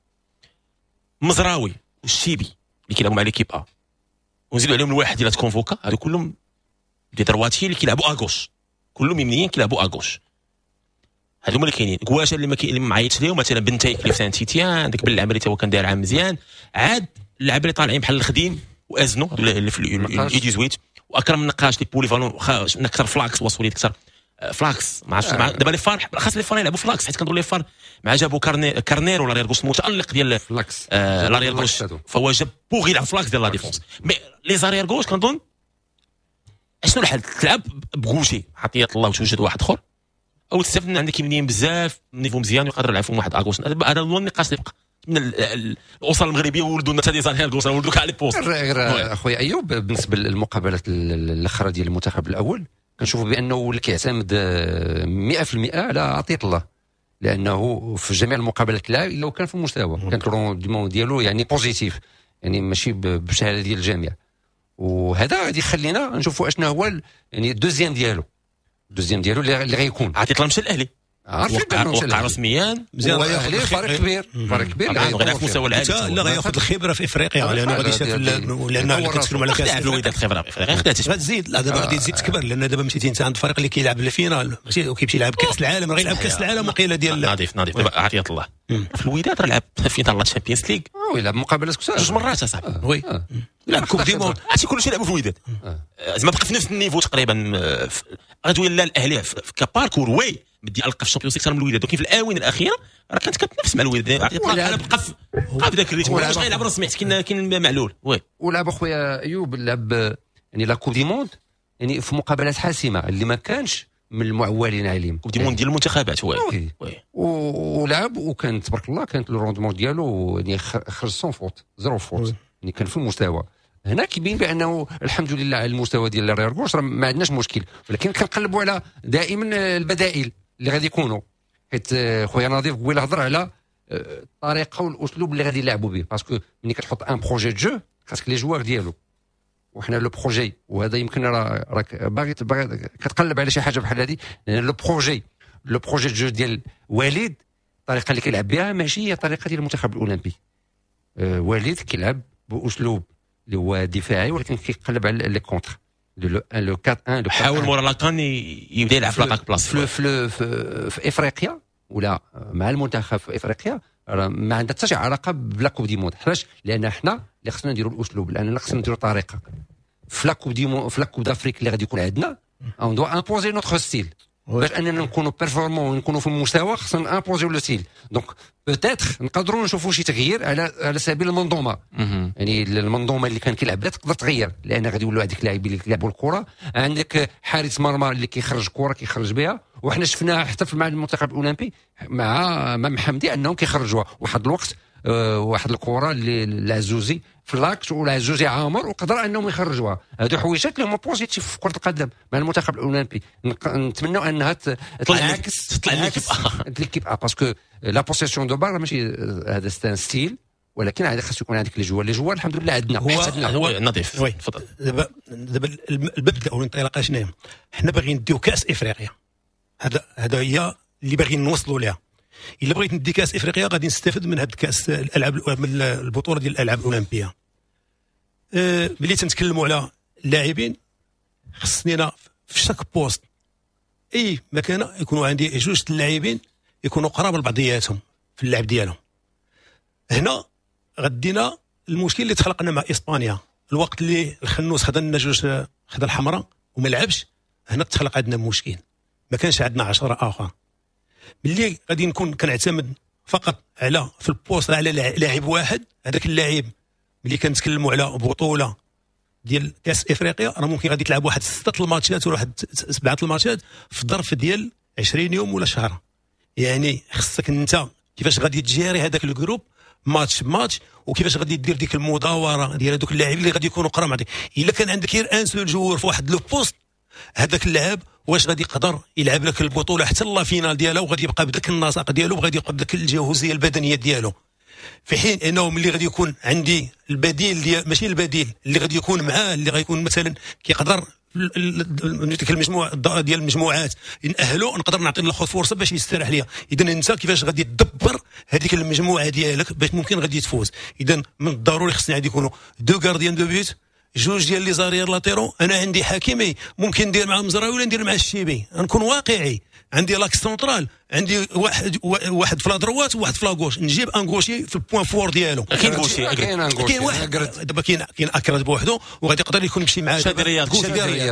مزراوي والشيبي اللي كيلعبوا مع l'équipe A، ونزيدوا عليهم الواحد اللي تكونفوكا، هادو كلهم des droitiers اللي كيلعبوا à gauche، كلهم يمنيين كيلعبوا à gauche. هادو هما اللي كاينين. كواشا اللي ما كاين اللي ما معيطش ليهم مثلا بنتايك اللي في سان تيتيان، عندك بالعمري تا هو كان داير عام مزيان، عاد اللعابه اللي طالعين بحال الخديم وازنو اللي في ال U dix-huit، واكرم النقاش اللي polyvalent اكثر ف l'axe وصوليت اكثر ف l'axe. ما عرفتش دابا les FAR خاص les FAR يلعبوا ف l'axe، حيت كنقول les FAR مع جابوا كارني كارنيرو l'arrière gauche المتالق ديال ف l'axe آه l'arrière gauche، فهو جاب pour يلعب ف l'axe ديال la défense. mais les arrières gauches كنظن اشنو الحل؟ تلعب ب gaucher عطية الله وتوجد واحد اخر، او تستافد من عندك يمنيين بزاف niveau مزيان ويقدر يلعب فيهم واحد à gauche. هذا هو النقاش اللي بقى من الاسر المغربية، ولدوا لنا حتى des arrières gauches، ولدوا كاع les postes. غير اخويا ايوب، بالنسبة للمقابلات الاخرى ديال المنتخب الاول كنشوفوا بانه ولا كيعتمد مئة في المئة على عطية الله، لانه في جميع المقابلات لا الا وكان في المستوى، كان ال rendement ديالو يعني positif، يعني ماشي بشهادة ديال الجميع. وهذا غادي يخلينا نشوفوا اشنا هو يعني ال deuxième ديالو، ال deuxième ديالو اللي غيكون. عطية الله مشى الاهلي، عارفين وقع, وقع رسميا مزيان، غياخذ فريق كبير، فريق كبير غيلعب في مستوى العالي. لا غياخذ الخبرة في افريقيا، لانه غادي يشاف، لان كتكلم على كاس الوداد الخبرة في افريقيا خدات غتزيد. لا دابا غادي تزيد تكبر، لان دابا مشيتي انت عند فريق اللي كيلعب ال finale ماشي وكيمشي يلعب كاس العالم، راه يلعب كاس العالم وقيله ديال نظيف نظيف. دابا عطية الله في الوداد راه لعب finale la Champions League، oui لعب مقابلات كثار جوج مرات اصاحبي، oui لعب Coupe du monde، هادشي كلشي لعبوا في الوداد، زعما بقى في نفس ال niveau تقريبا. غتولي لا الاهلي ك parcours oui بدي القى في ال Champions اكثر من الوداد، ولكن في الاونة الاخيرة راه كانت كتنافس مع الوداد، بقى بقى في ذاك ال rythme، واش غيلعب رسمي حيت كاين كاين معلول. oui ولعب اخويا ايوب، لعب يعني la Coupe du Monde، يعني في مقابلات حاسمة اللي ما كانش من المعولين عليهم، Coupe du Monde ديال المنتخبات. oui oui ولعب وكان تبارك الله كانت le rendement ديالو يعني خرج sans faute، zéro faute، يعني كان في المستوى. هنا كيبين بانه الحمد لله على المستوى ديال l'arrière gauche راه ما عندناش مشكل، ولكن كنقلبوا على دائما البدائل اللي غادي يكونوا، حيت خويا نظيف قبيلة هضر على الطريقة والاسلوب اللي غادي يلعبوا به، parce que ملي كتحط un projet de jeu خاصك les joueurs ديالو، وحنا le projet، وهذا يمكن راه راك باغي كتقلب على شي حاجة بحال هذه، لان le projet le projet de jeu ديال وليد الطريقة اللي كيلعب بها ماشي هي الطريقة ديال المنتخب الاولمبي. أه وليد كيلعب باسلوب اللي هو دفاعي، ولكن كيقلب على les contres، le le أربعة واحد. حاول مورا la CAN يبدا يلعب في l'attaque placée في في, في, في افريقيا ولا مع المنتخب في افريقيا راه ما عندها حتى شي علاقة ب la Coupe du Monde. علاش؟ لان حنا اللي خصنا نديروا الاسلوب، لان خصنا نديروا طريقه في la Coupe du Monde، في la Coupe d'Afrique اللي غادي يكون عندنا on doit imposer notre style باش اننا نكونوا performants ونكونوا في المستوى، خصنا imposer le style. donc peut-être نقدروا نشوفوا شي تغيير على على سبيل المنظومة، يعني المنظومة اللي كان كيلعب بها تقدر تغير، لان غادي يولوا عندك لاعبين اللي كيلعبوا الكره، عندك حارس مرمى اللي كيخرج كره كيخرج بها، وحنا شفناها حتى مع المنتخب الاولمبي مع مع محمدي انهم كيخرجوها واحد الوقت، أه واحد الكره اللي العزوزي في l'axe والعزوزي عامر وقدر انهم يخرجوها. هادو حويجات اللي هما positifs في كره القدم مع المنتخب الاولمبي، نتمنوا انها تنعكس تطلع l'équipe A، parce que la possession de balle ماشي هذا c'est un style، ولكن عاد خاص يكون عندك les joueurs، les joueurs الحمد لله عندنا. هو هو نظيف. تفضل. دابا دابا المبدا او الانطلاقة شنو؟ حنا باغيين نديو كاس افريقيا، هذا هذا هي اللي باغيين نوصلوا لها. الا بغيت ندي كاس افريقيا غادي نستافد من هاد كاس الالعاب، من البطولة ديال الالعاب الاولمبية. أه ملي تنتكلموا على اللاعبين خصني انا في chaque poste اي مكانه يكونوا عندي جوج اللاعبين يكونوا قراب لبعضياتهم في اللعب ديالهم. هنا غدينا المشكل اللي تخلقنا مع اسبانيا، الوقت اللي الخنوس خدا لنا جوج، خدا الحمراء وما لعبش، هنا تخلق عندنا مشكل، ما كانش عندنا عشرة اخر. ملي غادي نكون كنعتمد فقط على في ال poste على لاعب واحد، هذاك اللاعب ملي كنتكلموا على بطوله ديال كاس افريقيا راه ممكن غادي تلعب واحد ستة الماتشات ولا واحد سبعة الماتشات في ظرف ديال عشرين يوم ولا شهر. يعني خصك انت كيفاش غادي تجيري هذاك ال groupe match match، وكيفاش غادي دير ديك المداوره ديال هذوك اللاعبين اللي غادي يكونوا قراب معك. الا كان عندك غير un seul joueur في واحد le poste، هذاك اللاعب واش غادي يقدر يلعب لك البطولة حتى la finale ديالها، وغادي يبقى بداك النسق ديالو، وغادي يبقى بداك الجاهزيه البدنية ديالو. في حين انه ملي غادي يكون عندي البديل ديال، ماشي البديل اللي غادي يكون معاه، اللي غيكون مثلا كيقدر ديك المجموعة ديال المجموعات نأهلو، نقدر نعطي الاخر فرصة باش يستراح ليا. اذا انت كيفاش غادي تدبر هذيك المجموعة ديالك باش ممكن غادي تفوز. اذا من الضروري خصني غادي يكونوا deux gardiens de but، جوج ديال les arrières latéraux. انا عندي حكيمي ممكن ندير مع مزراوي ولا ندير مع الشيبي، نكون واقعي. عندي l'axe central، عندي واحد واحد في la droite وواحد في la gauche، نجيب un gaucher في ال point fort ديالو. كاين gaucher، كاين واحد دابا، كاين كاين اكرد بوحدو وغادي يقدر يكون يمشي مع شادي رياض،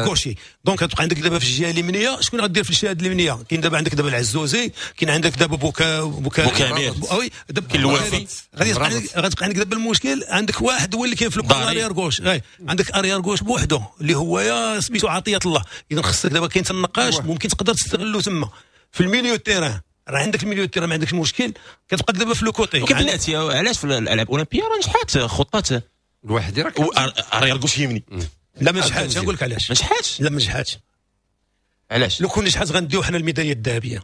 gaucher. donc تبقى عندك دابا في الجهة اليمنية شكون غدير في الجهة اليمنية؟ كاين دابا عندك دابا العزوزي، كاين عندك دابا بوكا بوكا بوكامير، oui دابا كاين الوافي. غادي غتبقى عندك دابا المشكل، عندك واحد هو اللي كاين في ال arrière gauche، عندك arrière gauche بوحدو اللي هو يا سميتو عطية الله. اذا خصك دابا كاين النقاش ممكن تقدر تستغلو تما في ال milieu terrain. راه عندك ال milieu terrain ما عندكش مشكل، كتبقى دابا في le côté. بلاتي علاش في الالعاب الاولمبية راه نجحات خطات الواحد راه arrière gauche يمني؟ لا ما نجحاتش، نقول لك علاش ما نجحاتش. لا ما نجحاتش. علاش؟ لو كون نجحات غنديو حنا الميداليه الذهبية.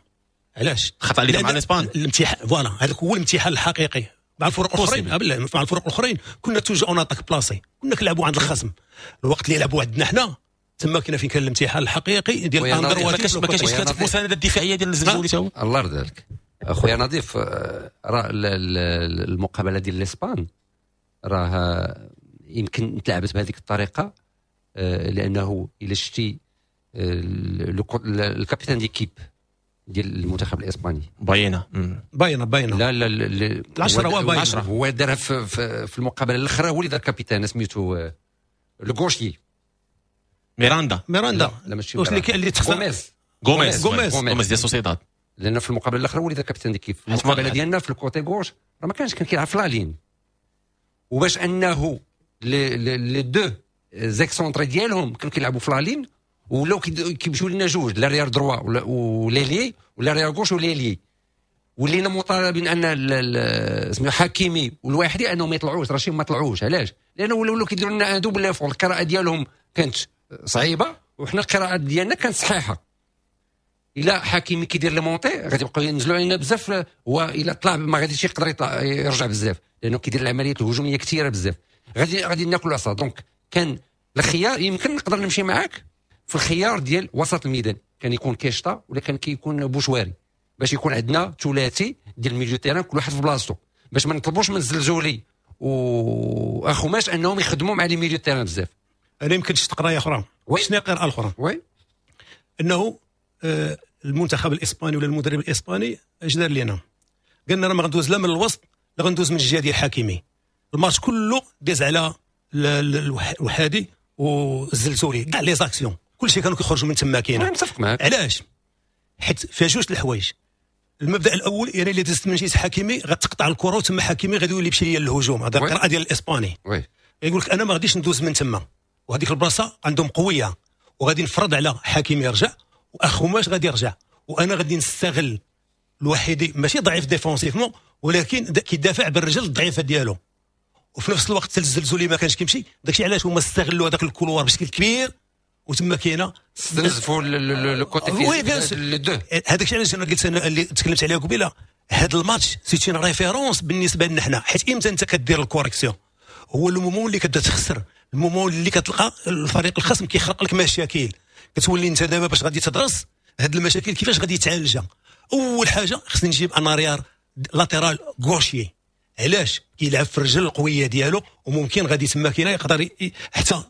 علاش؟ خطا اللي مع الاسبان الامتحان، voilà هذاك هو الامتحان الحقيقي. مع الفرق الاخرين، مع الفرق الاخرين كنا toujours en attaque placée، كنا كنلعبوا عند الخصم. الوقت اللي يلعبوا عندنا حنا تما كنا فين كان الامتحان الحقيقي ديال un droitier. ما كانش ما كانش اشكال في المساندة الدفاعية ديال الزلزولي تا هو. الله يرضي عليك اخويا نظيف، راه المقابلة ديال الاسبان راه يمكن تلعبت بهذيك الطريقة، لانه الا شتي ال capitaine d'équipe ديال المنتخب الاسباني باينة باينة باينة لا لا العشرة هو باينة، هو دارها في, في المقابلة الاخرى، هو اللي دار capitaine سميتو le gaucher ميراندا ميراندا لا ماشي واش اللي اللي تخسر غوميز غوميز غوميز غوميز ديال سوسيداد. لان في المقابلة الاخرى هو اللي دار capitaine d'équipe. في المقابلة ديالنا في ال côté gauche راه ما كانش، كان كيلعب في la ligne. وباش انه les deux excentrés ديالهم كانوا كيلعبوا في la ligne، ولاو كيمشيو لنا جوج، l'arrière droit و l'ailier و l'arrière gauche و l'ailier. ولينا مطالبين ان سميتو حكيمي والواحدي انهم ما يطلعوش، راه ما طلعوش. علاش؟ لانه ولاو كيديروا لنا un double effort. القراءة ديالهم كانت صعيبة وحنا القراءة ديالنا كانت صحيحه. الا حكيمي كيدير les montées غادي يبقاو ينزلوا علينا بزاف، هو الا طلع ما غاديش يقدر يطلع يرجع بزاف لانه كيدير العمليات الهجومية كثيرة بزاف، غادي غادي ناكلوا العصا. donc كان الخيار، يمكن نقدر نمشي معاك في الخيار ديال وسط الميدان، كان يكون كيشتا ولا كان كيكون بوشواري، باش يكون عندنا ثلاثي ديال ال milieu terrain كل واحد في بلاصتو، باش ما نطلبوش من الزلزولي واخوماش انهم يخدموا مع les milieux terrain بزاف. انا يمكن شفت قرايه اخرى. شنو هي القراءة الاخرى؟ oui. انه آه المنتخب الاسباني ولا المدرب الاسباني اش دار لنا؟ قالنا راه ما غندوز لا من الوسط لا غندوز من الجهة ديال حكيمي. الماتش كله داز على الوحادي والزلزولي، كاع les actions كلشي كانوا كيخرجوا من تما. كاينه متفق معاك. علاش؟ حيت فيها جوج الحوايج. المبدا الاول يعني اللي دزت من جهة حكيمي غتقطع الكره وتما حكيمي غادي يولي يمشي ليا للهجوم، هذا القراءة ديال الاسباني. oui. يقول لك انا ما غاديش ندوز من تما، وهذيك البلاصة عندهم قوية، وغادي نفرض على حكيمي يرجع واخوماش غادي يرجع، وانا غادي نستغل الوحيدي ماشي ضعيف défensivement ولكن كيدافع بالرجل الضعيفة ديالو، وفي نفس الوقت الزلزولي ما كانش كيمشي. داكشي علاش هما استغلوا هذاك ال couloir بشكل كبير، وتما كاينه استنزفوا le côté physique les deux. هذاك الشيء علاش انا قلت انا اللي تكلمت عليه قبيلة، هذا الماتش c'est une référence بالنسبة لنا حنا، حيت امتى انت كدير ال correction؟ هو le moment اللي كتبدا تخسر، ال moment اللي كتلقى الفريق الخصم كيخلق لك مشاكل، كتولي انت دابا باش غادي تدرس هاد المشاكل كيفاش غادي يتعالجها. اول حاجة خصني نجيب un arrière latéral gaucher. علاش؟ كيلعب في الرجل القوية ديالو، وممكن غادي تما كاينه يقدر حتى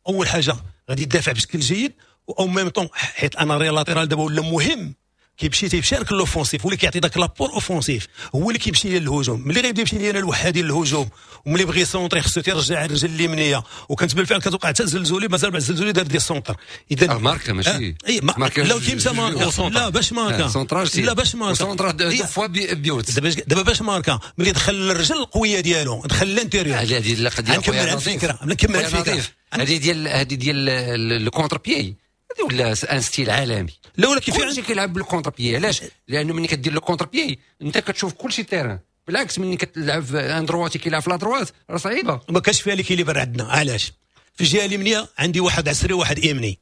اول حاجة غادي يدافع بشكل جيد، و même temps حيت un arrière latéral دابا ولا مهم، كيمشي تيشارك l'offensif، هو اللي كيعطي داك l'apport offensif، هو اللي كيمشي للهجوم. ملي غيبدا يمشي لينا الوحدي للهجوم، وملي بغى يسونطري خصو تيرجع الرجل اليمنية، وكانت بالفعل كتوقع حتى الزلزولي، مازال بعد الزلزولي دار des centres. اذا ماركا ماشي اي لا كيمشى ماركا، لا باش ماركا، لا باش ماركا centre deux fois but. دابا دابا باش ماركا ملي دخل الرجل القوية ديالو دخل l'intérieur. هذه القضية نكمل الفكرة، نكمل الفكرة هذه ديال هذه ديال ال contre-pied، هذه ولا un style عالمي. لا ولكن كلشي كيلعب بال contre-pied. علاش؟ لانه ملي كدير le contre-pied انت كتشوف كلشي terrain، بالعكس ملي كتلعب un droitier كيلعب في la droite راه صعيبة. ما كانش فيها l'équilibre عندنا. علاش؟ في الجهة اليمنية عندي واحد عسري وواحد يمني،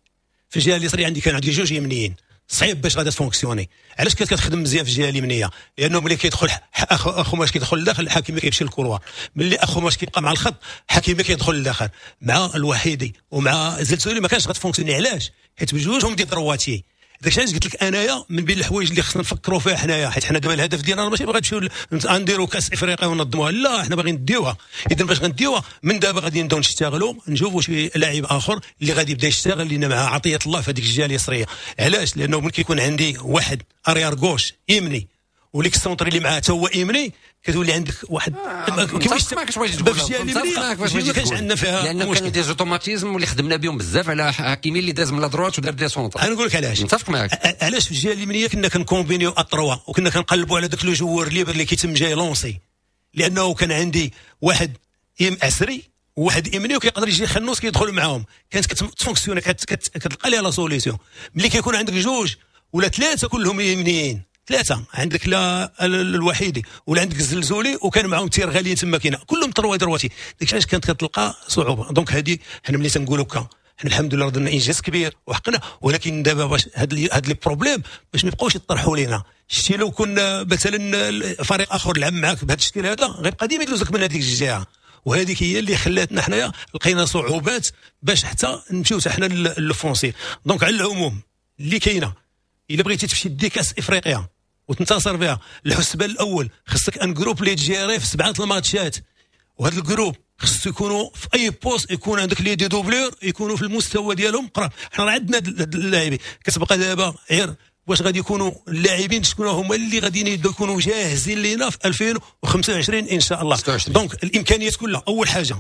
في الجهة اليسريه عندي كان عندي جوج يمنيين، صعيب باش غادي تفونكسيوني. علاش كانت كتخدم مزيان في الجهة اليمنية؟ لانه ملي كيدخل اخوماش كيدخل لداخل، الحكيمي كيمشي لل couloir، ملي اخوماش كيبقى مع الخط حكيمي كيدخل لداخل مع الوحيدي ومع زلزولي ما كانش غتفونكسيوني. علاش؟ حيت بجوجهم des droitiers. داكشي علاش قلت لك انايا من بين الحوايج اللي خصنا نفكروا فيها حنايا، حيت حنا دابا الهدف ديالنا ماشي باغي نمشيو نديروا كاس افريقيا وننظموها، لا حنا باغيين نديوها. اذا باش غنديوها من دابا غادي نبداو نشتغلوا، نشوفوا شي لاعب اخر اللي غادي يبدا يشتغل لنا مع عطية الله في هذيك الجهة اليسريه. علاش؟ لانه ملي كيكون عندي واحد arrière gauche يمني و l'excentré اللي معاه حتى هو يمني، كتولي عندك واحد كيفاش معاك واش تقول ما كانش عندنا فيها لان كانوا des automatismes اللي خدمنا بهم بزاف على حكيمي اللي داز من la droite ودار des centres. انا نقول لك علاش متفق معاك. علاش في الجهة اليمنية كنا كنكومبينيو à trois وكنا كنقلبوا على داك le joueur libre اللي كيتم جاي lancer، لانه كان عندي واحد عسري وواحد يمني وكيقدر يجي خنوس كيدخل معاهم، كانت كتفونكسيوني كتلقى ليها la solution. ملي كيكون عندك جوج ولا ثلاثة كلهم يمنيين، ثلاثة عندك لا الوحيدي ولا عندك الزلزولي وكان معاهم تير غاليين تما كاينه كلهم trois droitiers، داكشي علاش كانت كتلقى صعوبة. donc هذه حنا ملي تنقولوا كا حنا الحمد لله درنا انجاز كبير وحقنا، ولكن دابا باش هاد هاد les problèmes باش ما يبقاوش يطرحوا لينا. شتي لو كنا مثلا فريق اخر لعب معاك بهذا الشكل هذا غيبقى ديما يدوزك من هذيك الجهة، وهذيك هي اللي خلاتنا حنايا لقينا صعوبات باش حتى نمشيو حتى حنا l'offensif. donc على العموم اللي كاينه الا بغيتي تمشي دي كاس افريقيا وتنتصر بها، الحسبان الاول خصك un groupe اللي تجيري في سبعة الماتشات، وهذا ال groupe خصو يكونوا في اي poste يكون عندك les deux doublures يكونوا في المستوى ديالهم قراب. حنا راه عندنا اللاعبين، كتبقى دابا غير واش غادي يكونوا اللاعبين شكون هما اللي غادي يكونوا جاهزين لينا في ألفين وخمسة وعشرين ان شاء الله. donc الامكانيات كلها، اول حاجة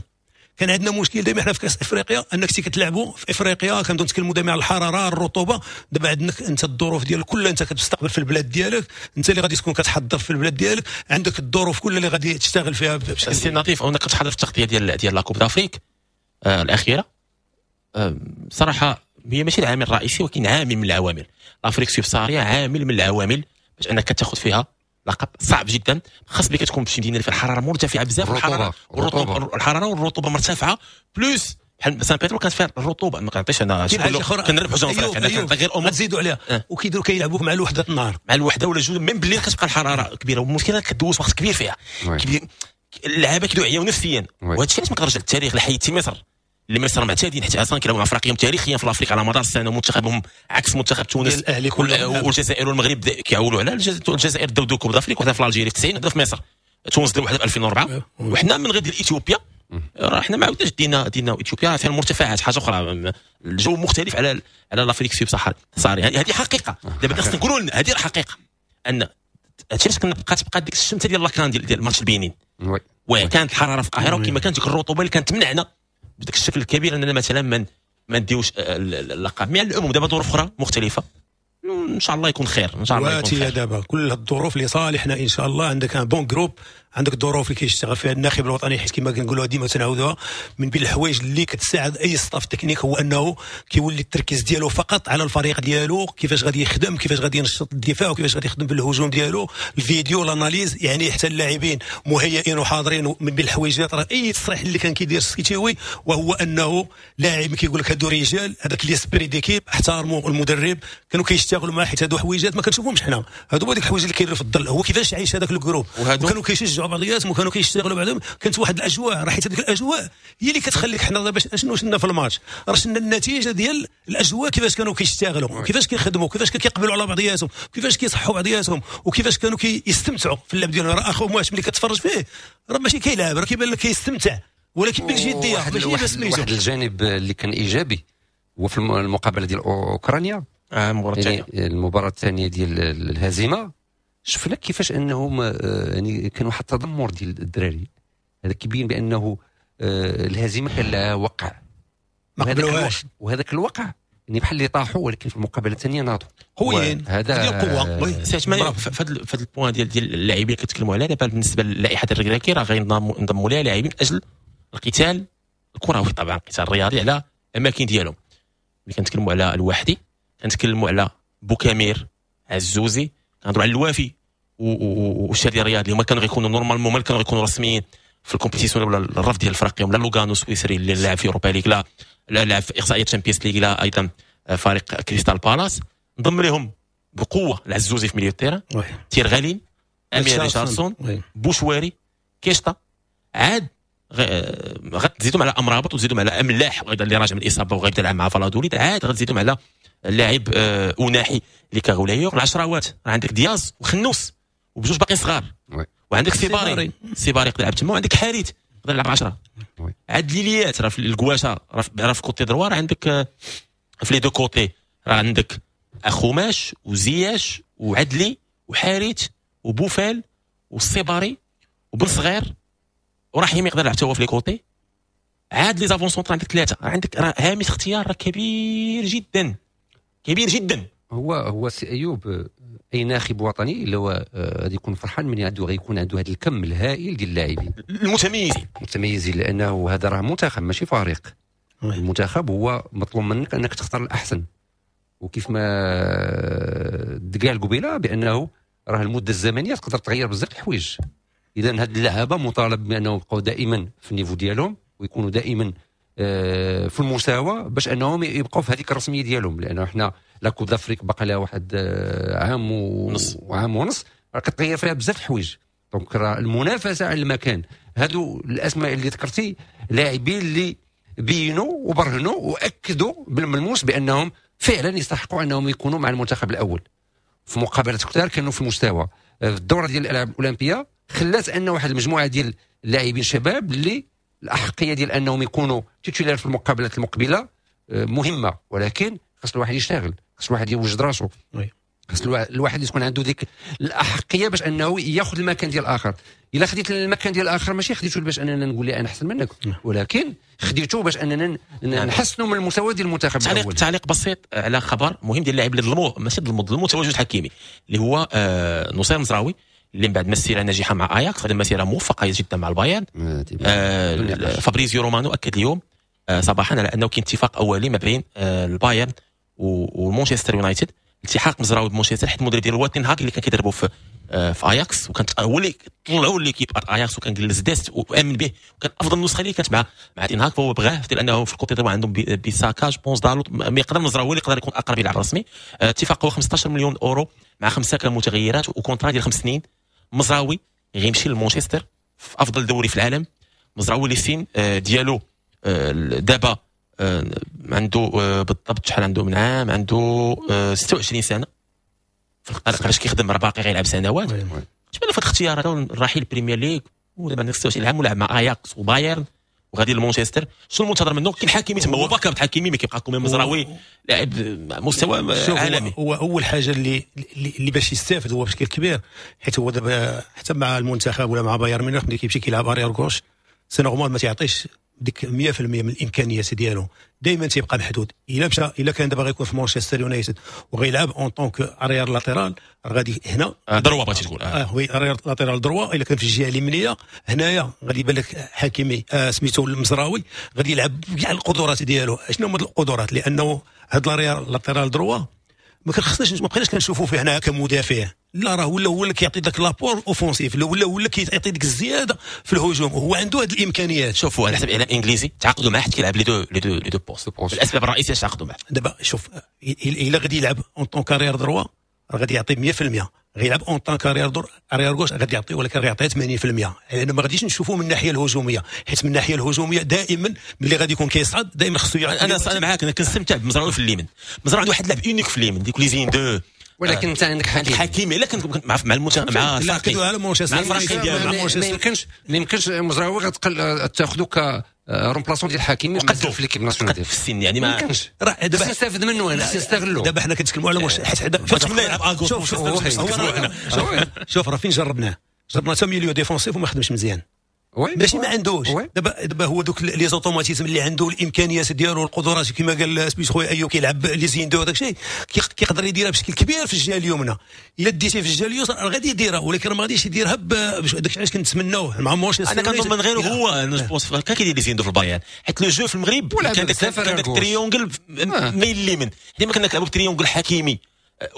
كان عندنا مشكل دائما حنا في كاس افريقيا، انك كتلعبوا في افريقيا كنبداو نتكلموا دائما على الحرارة، الرطوبة. دابا عندك انت الظروف ديال كلها، انت كتستقبل في البلاد ديالك، انت اللي غادي تكون كتحضر في البلاد ديالك، عندك الظروف كلها اللي غادي تشتغل فيها. سي لطيف، انا كنت حاضر في التغطية ديال ديال la Coupe d'Afrique آه الاخيرة. آه صراحة هي ماشي العامل الرئيسي ولكن عامل من العوامل. l'Afrique subsaharienne عامل من العوامل باش انك تاخذ فيها لقب صعب جدا، خاص بك تكون في شي مدينة اللي فيها الحرارة مرتفعة بزاف، الحرارة والرطوبة، الحرارة والرطوبة مرتفعة، plus بحال سان بيترو كانت فيها الرطوبة. ما كنعطيش انا كنربحوا جون فريق، انا كنعطي غير امور تزيدوا عليها. أه. وكيديروا كيلعبوك مع الوحدة النهار، مع الوحدة ولا جوج même بالليل كتبقى الحرارة كبيرة، والمشكلة كدوز وقت كبير فيها، اللعابه كيدعيو نفسيا. وهذا الشيء علاش ما كنرجع للتاريخ لحيتي مصر، اللي مصر معتادين حتى اصلا كيلعبوا مع افريقيا تاريخيا في l'Afrique على مدار السنة، منتخبهم عكس منتخب تونس الاهلي والجزائر والمغرب كيعولوا على الجزائر داو deux Coupes d'Afrique، وحده في l'Algérie في تسعين، وحده في مصر، تونس داو وحده في ألفين وأربعة. وحنا من غير ديال اثيوبيا راه حنا ما عاودناش دينا دينا اثيوبيا فيها المرتفعات حاجة اخرى، الجو مختلف على على l'Afrique subsaharienne. هذه حقيقة دابا خصنا نقولوا لنا هذه الحقيقة، ان هادشي علاش كنا بقات بقات ديك الشمته ديال la CAN ديال ديال ماتش البنين، وكانت الحرارة في القاهرة وكما كانت ديك الرطوبة اللي كانت تمنعنا بداك الشكل الكبير اننا مثلا ما ما نديوش اللقب. mais على العموم دابا ظروف اخرى مختلفة، ان شاء الله يكون خير، ان شاء الله يكون خير. دابا كل الظروف لصالحنا ان شاء الله. عندك un bon groupe، عندك الظروف اللي كيشتغل فيها الناخب الوطني، حيت كما كنقولوها ديما تنعاودوها، من بين الحوايج اللي كتساعد اي staff technique هو انه كيولي التركيز ديالو فقط على الفريق ديالو، كيفاش غادي يخدم، كيفاش غادي ينشط الدفاع، وكيفاش غادي يخدم بالهجوم ديالو، الفيديو، l'analyse، يعني حتى اللاعبين مهيئين وحاضرين. من بين الحوايج راه اي تصريح اللي كان كيدير السكيتيوي وهو انه لاعب كيقول لك هادو رجال، هذاك l'esprit d'équipe، احترموا المدرب، كانوا كيشتغلوا معاه، حيت هادو حويجات ما كنشوفهمش حنا، هادو هما ديك الحوايج اللي كاينين في الظل، هو كيفاش عايش هذاك ال groupe، وكانوا كيشجعوا بعضياتهم وكانوا كيشتغلوا بعضهم، كانت واحد الاجواء، راه حيت هذيك الاجواء هي اللي كتخليك حنا باش شنو شفنا في الماتش، راه شفنا النتيجة ديال الاجواء، كيفاش كانوا كيشتغلوا، كيفاش كيخدموا، كيفاش كيقبلوا على بعضياتهم، كيفاش كيصحوا بعضياتهم، وكيفاش كانوا كيستمتعوا في اللعب ديالهم. راه اخوماش ملي كتفرج فيه راه ماشي كيلعب، راه كيبان لك كيستمتع، ولكن بالجديه ماشي بس. واحد الجانب اللي كان ايجابي هو في المقابلة ديال اوكرانيا، آه المباراة الثانية، المباراة الثانية ديال الهزيمة، شفنا كيفاش انهم يعني كان واحد التذمر ديال الدراري، هذا كيبين بانه الهزيمة كان لها وقع، ما قبلوهاش، وهذاك الوقع يعني بحال اللي طاحوا، ولكن في المقابلة الثانية ناضوا قويين. هذا القوة سي عثمان في هذا ال point ديال ديال اللاعبين اللي كتكلموا عليها دابا. بالنسبة للائحه الركراكي راه غينضموا لها لاعبين من اجل القتال الكروي، طبعا القتال الرياضي على الاماكن ديالهم. ملي كنتكلموا على الوحدي كنتكلموا على بوكامير، عزوزي، كنهضروا على الوافي والشادي الرياضي، اللي هما كانوا غيكونوا normalement ما كانوا غيكونوا رسميين في ال compétition ولا الرفض ديال الفرق، لا لوغانو السويسري اللي لعب في Europa League، لا لا لعب في اقصائيه Champions League، لا ايضا فريق كريستال بالاس. انضم لهم بقوة العزوزي في milieu terrain، تيرغالين، امير ريشاردسون، بوشواري، كيشتا، عاد غتزيدهم على امرابط وتزيدهم على املاح ايضا اللي راجع من الاصابة وغيبدا يلعب مع فالادوليد، عاد غتزيدهم على اللاعب اوناحي اللي كغولايور. العشراوات عندك دياز وخنوس وبجوج باقي صغار، وعندك سيباري، سيباري يقدر يلعب تما، وعندك حاريت يقدر يلعب عشرة. عاد ليليات راه في الكواشه، راه في côté droit، راه عندك في les deux côtés، راه عندك اخوماش وزياش وعدلي وحاريت وبوفال والسيباري وبن صغير ورحيم يقدر يلعب حتى هو في les côtés. عاد les avants-centres عندك ثلاثة، عندك راه هامش اختيار راه كبير جدا، كبير جدا. هو هو سي ايوب اي ناخب وطني اللي هو غادي يكون فرحان من عنده غيكون عنده هذا الكم الهائل ديال اللاعبين المتميزين المتميزين، لانه هذا راه منتخب ماشي فريق. المنتخب هو مطلوب منك انك تختار الاحسن، وكيف ما قال قبيلة بانه راه المدة الزمنية تقدر تغير بزاف الحوايج. اذا هاد اللعابه مطالب بانهم يبقاو دائما في ال niveau ديالهم ويكونوا دائما في المساواة باش انهم يبقاو في هذيك الرسمية ديالهم، لانه حنا la Coupe d'Afrique باقي لها واحد عام ونص وعام ونص راه كتغير فيها بزاف الحوايج. donc راه المنافسة على المكان، هادو الاسماء اللي ذكرتي لاعبين اللي بينوا وبرهنوا واكدوا بالملموس بانهم فعلا يستحقوا انهم يكونوا مع المنتخب الاول. في مقابلات كثار كانوا في المستوى. في الدورة ديال الالعاب الاولمبية خلات ان واحد المجموعة ديال اللاعبين شباب اللي الاحقيه ديال انهم يكونوا titulaires في المقابلات المقبلة مهمة، ولكن خاص الواحد يشتغل، خاص الواحد يوجد راسو، خص الواحد يكون عنده ديك الاحقيه باش انه ياخذ المكان ديال الاخر. الا خديت المكان ديال الاخر ماشي خديته باش اننا نقول لي انا احسن منك، ولكن خديته باش اننا نحسنوا من المستوى ديال المنتخب. تعليق تعليق بسيط على خبر مهم ديال اللاعب اللي ظلموه، ماشي ظلموه، ظلموا تواجد حكيمي اللي هو آه نصير مزراوي، اللي من بعد مسيره ناجحة مع اياكس خدم مسيره موفقة جدا مع البايرن. آه فابريزيو رومانو اكد اليوم آه صباحا على انه كاين اتفاق اولي ما بين آه البايرن ومانشستر يونايتد، التحاق مزراوي بمانشستر، حيت المدرب ديالو هو تين هاك اللي كان كيدربو في آه في اياكس، وكان هو اللي طلعوا l'équipe اياكس وكان جلس ديست وامن به، وكان افضل نسخه اللي كانت مع مع تين هاك، فهو بغاة لانه في ال côté droit عندهم بيساكا je pense دالوت، mais يقدر مزراوي اللي يقدر يكون اقرب يلعب رسمي. آه اتفاق هو خمسطاش مليون اورو مع خمسة كمتغيرات و contrat ديال خمس سنين. مزراوي غيمشي لمانشستر في افضل دوري في العالم. مزراوي اللي سين ديالو دابا عنده بالضبط شحال عنده من عام، عنده ستة وعشرين سنة في القلق باش كيخدم، راه باقي غيلعب سنوات. تبان في هذا الاختيار هذا الرحيل بريمير ليغ ودابا عندك ستة وعشرين عام ولعب مع اياكس وبايرن وغادي لمانشستر. شنو المنتظر منه؟ كاين حكيمي تما، هو backup حكيمي، mais كيبقى quand même مزراوي لاعب مستوى عالمي. هو اول حاجة اللي اللي باش يستافد هو بشكل كبير، حيت هو دابا حتى مع المنتخب ولا مع بايرن ميونخ ملي كيمشي كيلعب arrière gauche c'est normal ما تيعطيش ديك مية في المية من الامكانيات ديالو، دائما تيبقى محدود. الا مشى، الا كان دابا غيكون في مانشستر يونايتد وغيلعب en tant que arrière latéral، غادي هنا droit بغيتي تقول اه oui arrière latéral droit. الا كان في الجهة اليمنية هنايا غادي يبان لك حكيمي آه سميتو المزراوي غادي يلعب كاع القدرات ديالو. شنو هما القدرات؟ لانه هاد l'arrière latéral droit ما كنخصناش، ما بقيناش كنشوفوا فيه هنا كمدافع، لا راه ولا هو اللي كيعطي داك l'apport offensif، ولا هو اللي كيعطي ديك الزيادة في الهجوم، وهو عنده هذه الامكانيات. شوفوا على حسب اعلام انجليزي تعاقدوا معاه حيت كيلعب les deux les deux les deux postes، الاسباب الرئيسية تعاقدوا معاه. دابا شوف الا غادي يلعب en tant qu'arrière droit راه غادي يعطي مية في المية، غيلعب en tant qu'arrière droit arrière gauche غادي يعطي، ولكن غيعطي ثمانين في المية، لان ما غاديش نشوفوه من الناحية الهجومية، حيت من الناحية الهجومية دائما ملي غادي يكون كيصعد دائما خصو يعطي. انا انا معاك، انا كنستمتع بمزراوي في اليمين. مزراوي عنده واحد اللعب unique في اليمين، ديك les une-deux. ولكن انت عندك حكيمي، حكيمي الا كان مع مع المنتخب مع الفريق مع الفريق ديالو ما يمكنش ما يمكنش مزراوي غتقل تاخذو ك remplaçant ديال حكيمي في l'équipe nationale في السن، يعني ما يمكنش. راه دابا نستافد منه، انا نستغلو. دابا حنا كنتكلموا على مش حيت كنتمنى يلعب à gauche. شوف شوف راه فين جربناه، جربناه حتى milieu défensif وما خدمش مزيان، ماشي ما عندوش. دابا دابا هو دوك les automatismes اللي عنده، الامكانيات ديالو، القدرات كما قال سميت خويا ايو كيلعب les une-deux داك الشيء كيقدر يديرها بشكل كبير في الجهة اليمنى. الا ديتيه في الجهة اليسرى غادي يديرها، ولكن ما غاديش يديرها. داك علاش كنتمناوه مع مانشستر. انا كنظن من غيره هو انا je pense كان كيدير les une-deux في البايرن، حيت le jeu في المغرب كان داك triangle ميل اليمين، ديما كنا كنلعبوا ب triangle حكيمي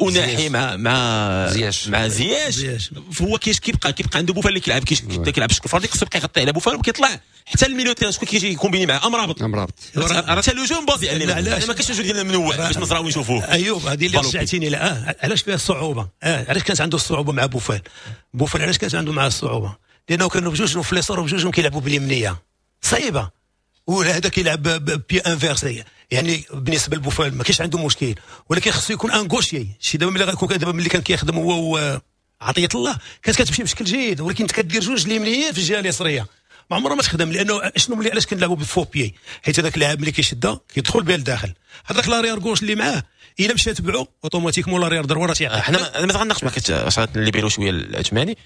وناحي مع مع زياش مع زياش. هو كيش كيبقى كيبقى عنده بوفال اللي كيلعب كيلعب بشكل فردي، خصو يبقى يغطي على بوفال وكيطلع حتى ال milieu terrain. شكون كيجي combiner معاه؟ امرابط امرابط راه حتى le jeu basé عليه. علاش ما كاينش jeu ديال منوع باش مزراوي نشوفوه. ايوب هذه اللي رجعتيني لا علاش فيها الصعوبة؟ اه علاش كانت عنده الصعوبة مع بوفال؟ بوفال علاش كانت عنده مع الصعوبة؟ لانه كانوا بجوج في اليسار وبجوجهم كيلعبوا باليمنيه صعيبة، ولا هذا كيلعب pied inversé. يعني بالنسبة لبوفال ما كاينش عنده مشكل، ولكن خصو يكون un gaucher. شي دابا ملي غيكون دابا ملي كان كيخدم هو عطية الله كانت كتمشي بشكل جيد، ولكن انت كدير جوج اليمنيين في الجهة اليسريه ما عمرها ما تخدم. لانه شنو ملي علاش كنلعبوا بال faux pied؟ حيت هذاك اللاعب ملي كيشدها كيدخل بها لداخل، هذاك l'arrière gauche اللي معاه الا مشى تبعو automatiquement l'arrière droit راه تيعطي. حنا انا ما غناقش معاك اللي بيرو شوية العثماني،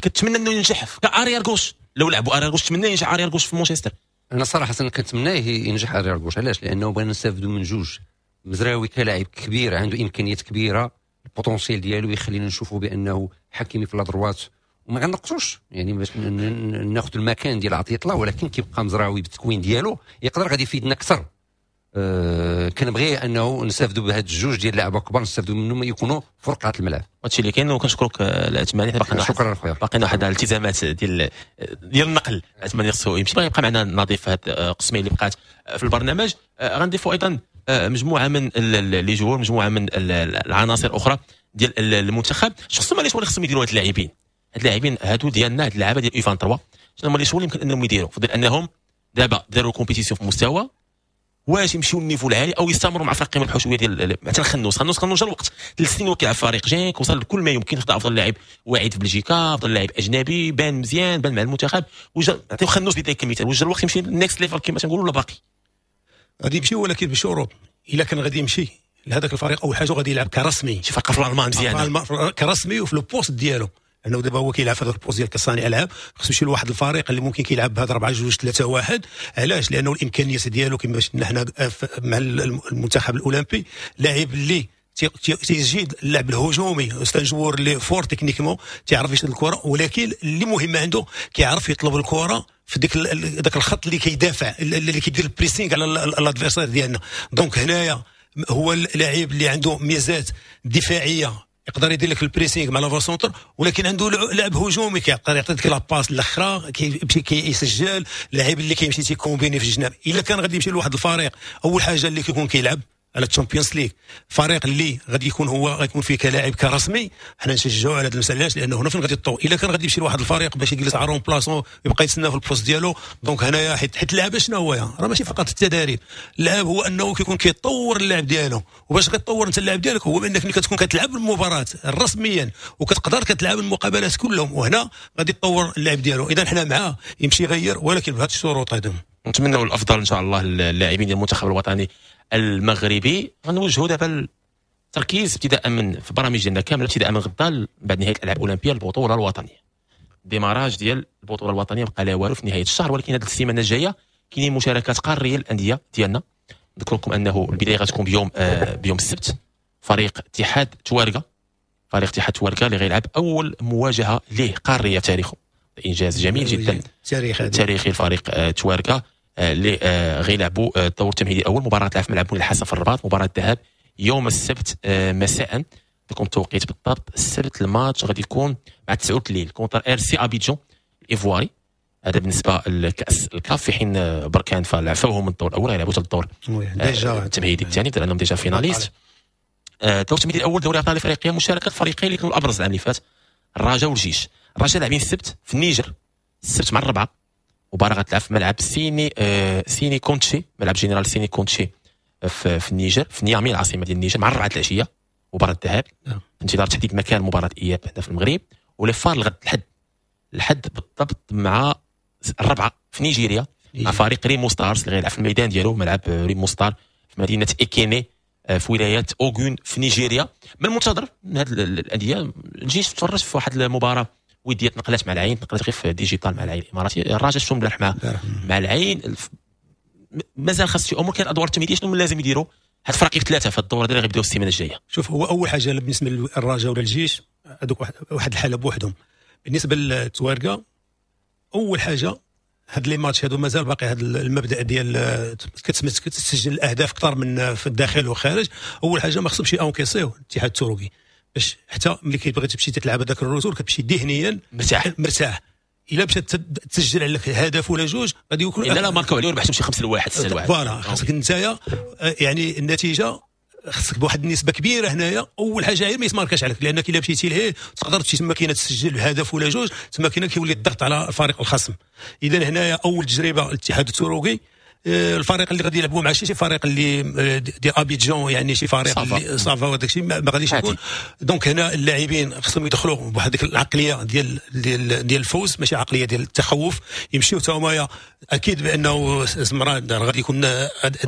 كنتمنى انه ينجح ك arrière gauche. لو لعبوا arrière gauche تمنى ينجح arrière gauche في مانشستر. انا صراحة كنتمناه ينجح arrière gauche. علاش؟ لانه بغينا نستافدوا من جوج. مزراوي كلاعب كبير عنده امكانيات كبيرة، ال potentiel ديالو يخلينا نشوفوا بانه حكيمي في la droite وما غنقصوش يعني باش ناخذ المكان ديال عطية الله، ولكن كيبقى مزراوي بالتكوين ديالو يقدر غادي يفيدنا اكثر. أه كنبغي انه نستافدوا بهاد الجوج ديال اللعابه كبار، نستافدوا منهم يكونوا فرقعه الملعب. هادشي اللي كاين، وكنشكرك العثماني. باقي شكرا خويا، باقينا واحد الالتزامات ديال ديال النقل. العثماني خصو يمشي، باغي يبقى معنا نظيف في هاد القسمين اللي بقات في البرنامج. غنضيفوا ايضا مجموعة من les joueurs، مجموعة من العناصر الاخرى ديال المنتخب. شخص ما les choix اللي خصهم يديروا هاد اللاعبين، هاد اللاعبين هادو ديالنا، هاد اللعابه ديال U vingt-trois، شنو هما les choix اللي يمكن انهم يديروا؟ فضل انهم دابا داروا compétition في مستوى، واش يمشيو لل niveau العالي او يستمروا مع فريق يربحوا شوية ديال مثلا خنوس. خنوس خنوس جا الوقت ثلاث سنين وكيلعب فريق جينك، وصل لكل ما يمكن، خدا افضل لاعب واعد في بلجيكا، افضل لاعب اجنبي، بان مزيان، بان مع المنتخب، وجا نعطيو خنوس بداية كمثال. وجا الوقت يمشي next level كما تنقولوا ولا باقي؟ غادي يمشي ولكن بشروط. الا كان غادي يمشي لهذاك الفريق اول حاجة غادي يلعب كرسمي، شي فرقه في الالمان مزيانه كرسمي وفي le poste ديالو، لانه دابا هو كيلعب في هذاك ال poste ديال كصانع العاب، خصو يمشي لواحد الفريق اللي ممكن كيلعب بهذا أربعة جوج ثلاثة واحد. علاش؟ لانه الامكانيات ديالو كما شفنا حنا مع المنتخب الاولمبي، لاعب اللي تيجيد اللعب الهجومي، c'est un joueur اللي fort techniquement، تيعرف يشد الكره، ولكن اللي مهم عنده كيعرف يطلب الكره في ديك داك الخط اللي كيدافع، اللي كيدير ال pressing على l'adversaire ديالنا. donc هنايا هو اللاعب اللي عنده ميزات دفاعية، يقدر يدير لك ال pressing مع l'avant-centre، ولكن عنده لعب هجومي، كيقدر يعطيك la passe الاخرى، كيمشي كيسجل. اللاعب اللي كيمشي تي combiner في الجناب، الا كان غادي يمشي لواحد الفريق اول حاجة اللي كيكون كيلعب على ال Champions League، فريق اللي غادي يكون هو غيكون فيه كلاعب كرسمي، حنا نشجعوا على هذه المسالة. علاش؟ لانه هنا فين غادي يطور. الا كان غادي يمشي لواحد الفريق باش يجلس على remplaçant يبقى يتسنى في ال poste ديالو، donc هنايا حيت حيت اللعب شنو هو؟ راه ماشي فقط التدريب، اللعب هو انه كيكون كيطور اللعب ديالو. وباش غتطور انت اللعب ديالك هو بانك ملي كتكون كتلعب المباراة رسميا وكتقدر كتلعب المقابلات كلهم، وهنا غادي تطور اللعب ديالو. اذا حنا معاه يمشي يغير، ولكن بهذه الشروط هذو. نتمنوا الافضل ان شاء الله للاعبين ديال المنتخب الوطني المغربي. غنوجهوا دابا التركيز ابتداء من في برامج ديالنا كاملة، ابتداء من غدا بعد نهاية الالعاب الاولمبية البطولة الوطنية، démarrage ديال البطولة الوطنية بقى لا والو في نهاية الشهر، ولكن هذه السيمانة الجاية كاينين مشاركات قارية للاندية ديالنا. نذكر لكم انه البداية غتكون بيوم آه بيوم السبت، فريق اتحاد توارقه، فريق اتحاد توارقه اللي غيلعب اول مواجهة ليه قارية في تاريخه، انجاز جميل جدا تاريخي تاريخي الفريق آه توارقه اللي غيلعبوا الدور التمهيدي الاول، مباراة تلعب في ملعب مولاي الحسن في الرباط، مباراة الذهاب يوم السبت مساء. لكم التوقيت بالضبط، السبت الماتش غادي يكون مع تسعة الليل contre RC ابيجون الايفواري، هذا بالنسبة لكاس الكاف. في حين بركان فلعبوهم من الدور الاول، غيلعبوا حتى الدور déjà التمهيدي الثاني، لانهم déjà finalistes. الدور التمهيدي الاول دوري ابطال افريقيا، مشاركة الفريقين اللي كانوا الابرز العام اللي فات، الرجاء والجيش. الرجاء لاعبين السبت في النيجر، السبت مع الربعه، مباراة غتلعب في ملعب سيني آه سيني كونتشي، ملعب جنرال سيني كونتشي في, في النيجر، في نيامي العاصمة ديال النيجر، مع الربعة العشية، مباراة الذهاب. نعم. انتظار تحديد مكان مباراة اياب هنا في المغرب. و les FAR الغد الحد، الحد بالضبط مع الربعة في نيجيريا، مع فريق ريمو ستارز اللي غيلعب في الميدان ديالو، ملعب ريمو ستار في مدينة إيكيني في ولاية أوغون في نيجيريا. من المنتظر من هذه الأندية، الجيش تفرج في واحد المباراة وديه تنقلات مع العين، تنقلات غير في digital مع العين الاماراتي. الرجاء شفتهم البارح مع مع العين، مازال خاص شي امور. كاين الادوار التمهيدية شنو لازم يديروا هاد الفرق ثلاثة في الدورة اللي غيبداو السيمانة الجاية؟ شوف، هو اول حاجة بالنسبة للرجاء ولا الجيش هذوك واحد الحالة بوحدهم. بالنسبة للتوارقه، اول حاجة هاد les matchs هادو مازال باقي هاد المبدا ديال كتسجل الاهداف اكثر من في الداخل والخارج. اول حاجة ما خصهمش encaisser الاتحاد التروكي، باش حتى ملي كيبغي تمشي تلعب هذاك ال retour كتمشي ذهنيا مرتاح مرتاح. الا مشات تسجل عليك هدف ولا جوج غادي يكون الا لا ماركاو عليه وربحتهم شي خمسة لواحد ستة لواحد voilà، خاصك نتايا يعني النتيجة خاصك بواحد النسبة كبيرة هنايا. اول حاجة غير ما يتماركاش عليك، لانك الا مشيتي لهيه تقدر تمشي تما كاينه تسجل هدف ولا جوج، تما كاينه كيولي الضغط على الفريق الخصم. اذا هنايا اول تجربه الاتحاد التروكي، الفريق اللي غادي يلعبوا مع شي شي فريق اللي ديال ابيجون، يعني شي فريق اللي ça va وداك الشيء ما غاديش يكون. donc هنا اللاعبين خصهم يدخلوا بواحد ديك العقلية ديال ديال ديال الفوز، ماشي عقلية ديال التخوف. يمشيو تا هما اكيد بانه زمران غادي يكون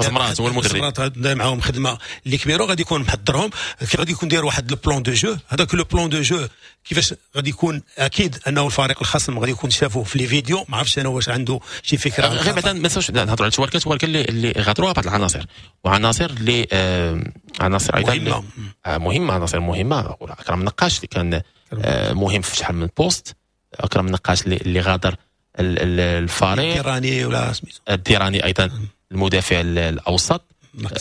زمران هو المدرب، زمران دار معاهم خدمة اللي كبيرة، غادي يكون محضرهم، غادي يكون داير واحد le plan de jeu. هذاك le plan de jeu كيفاش غادي يكون، اكيد انه الفريق الخصم غادي يكون شافوه في les vidéos، ما عرفتش انا واش عنده شي فكرة. غير بعدا ما نساوش نهضروا على تواركه، تواركه اللي اللي غادروها بعض العناصر، وعناصر اللي آه عناصر ايضا مهمة آه مهمة، عناصر مهمة. اكرم النقاش اللي كان آه مهم في شحال من poste، اكرم النقاش اللي, اللي غادر الفريق، الديراني ولا سميتو الديراني ايضا المدافع الاوسط،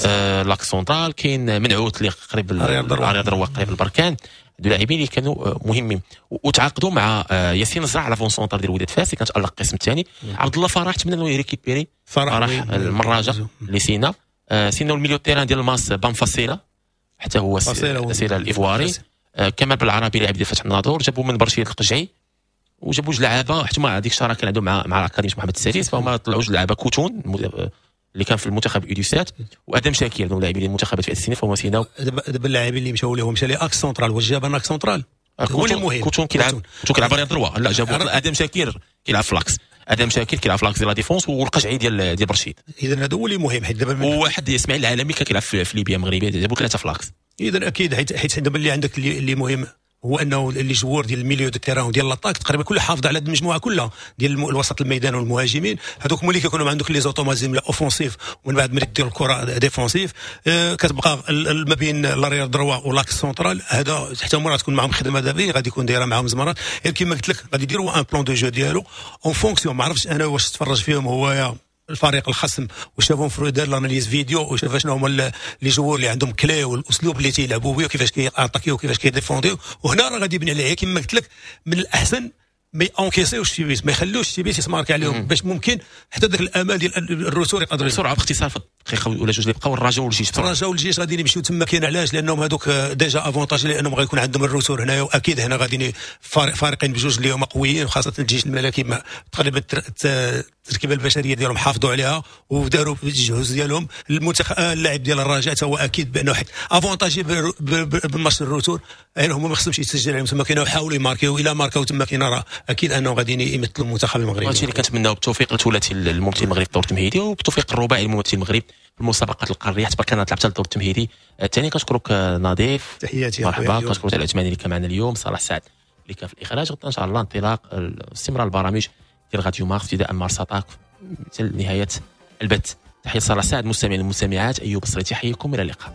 آه l'axe central. كاين منعوت اللي قريب arrière droit قريب البركان. هادو لاعبين اللي كانوا مهمين، وتعاقدوا مع ياسين الزرع l'avant-centre ديال وداد فاس اللي كان تالق القسم الثاني. عبد الله فرح تمنى انه ي récupérer فرح المراجه اللي سينا سينا ال milieu terrain ديال الماس بانفاسيلا حتى هو سيلا الايفواري. كمال بالعربي لاعب ديال فتح الناظور، جابوا من برشيه القجعي، وجابوا جوج لعابه حتى هما هذيك الشراكة كان عندهم مع مع اكاديمية محمد السادس، فهما طلعوا جوج لعابه، كوتون اللي كان في المنتخب U dix-sept وادم شاكير، هذو لاعبين المنتخبات في السنين، فهما سيناو. دابا اللاعبين اللي مشاو لهم مشى لي axe central، واش جاب axe central؟ هو اللي مهم. كوتون كيلعب، كوتون كيلعب arrière droit، لا جابوا ادم شاكير كيلعب ف l'axe. ادم شاكر كيلعب في l'axe ديال la défense، والقجعي ديال ديال برشيد. اذا هذا هو اللي مهم، حيت دابا وواحد اسماعيل العالمي كان كيلعب في ليبيا مغربية، جابوا ثلاثة في l'axe. اذا اكيد حيت حيت دابا اللي عندك اللي, اللي مهم هو انه les joueurs ديال ال milieu de terrain وديال l'attaque تقريبا كل حافظ على المجموعة كلها ديال الوسط الميدان والمهاجمين، هذوك هما اللي كيكونوا عندك les automatismes offensifs، ومن بعد ملي دير الكره défensif آه كتبقى ما بين l'arrière droit و l'axe central، هذا حتى هما تكون معاهم خدمة دابا غادي يكون دايرة معاهم زمرات. كما قلت لك غادي يديروا un plan de jeu ديالو en fonction. ما عرفتش انا واش تفرج فيهم هو الفريق الخصم وشافهم في دار l'analyse vidéo وشاف شنو هما les joueurs اللي عندهم clés والاسلوب اللي تيلعبوا به وكيفاش كياتاكيو وكيفاش كيديفونديو، وهنا راه غادي يبني عليه. كما قلت لك من الاحسن ما اونكيسيوش شي بيت، ما يخلوش شي بيت يتماركي عليهم، باش ممكن حتى ذاك الامال ديال ال retour يقدروا. بسرعة باختصار في دقيقة ولا جوج اللي بقاو، الرجاء والجيش. الرجاء والجيش غادي يمشيو تما، كاين علاش؟ لانهم هذوك déjà avantagés، لانهم غيكون عندهم ال retour هنايا، واكيد هنا غادي فريقين بجوج اللي هما قويين، وخاصة الجيش الملكي تقريبا التركيبة البشرية ديالهم حافظوا عليها وداروا الجهوز ديالهم. المنتخب اللاعب ديال الرجاء هو اكيد بانه حيت avantagé بال match ال retour، يعني هما ما خصهمش يتسجل عليهم تما، كاينوا يحاولوا يماركيو، الى ماركاو تما كاين راه اكيد انه غادي يمثلوا المنتخب المغربي. هادشي اللي كنتمناو، بالتوفيق لثلاثي الممثل المغرب في الدور التمهيدي، وبالتوفيق الرباعي للممثل المغرب في المسابقات القارية حتى كانت لعبت الدور التمهيدي الثاني. كنشكرك نظيف، تحياتي، مرحبا. كنشكرك على العثماني اللي كان معنا اليوم، صلاح سعد اللي كان في الاخراج. غدا ان شاء الله انطلاق استمرار البرامج ديال راديو مارس ابتداء مارس اتاك حتى نهاية البث. تحية صلاح سعد، مستمعين المستمعات، ايوب الصريتي يحييكم، الى اللقاء.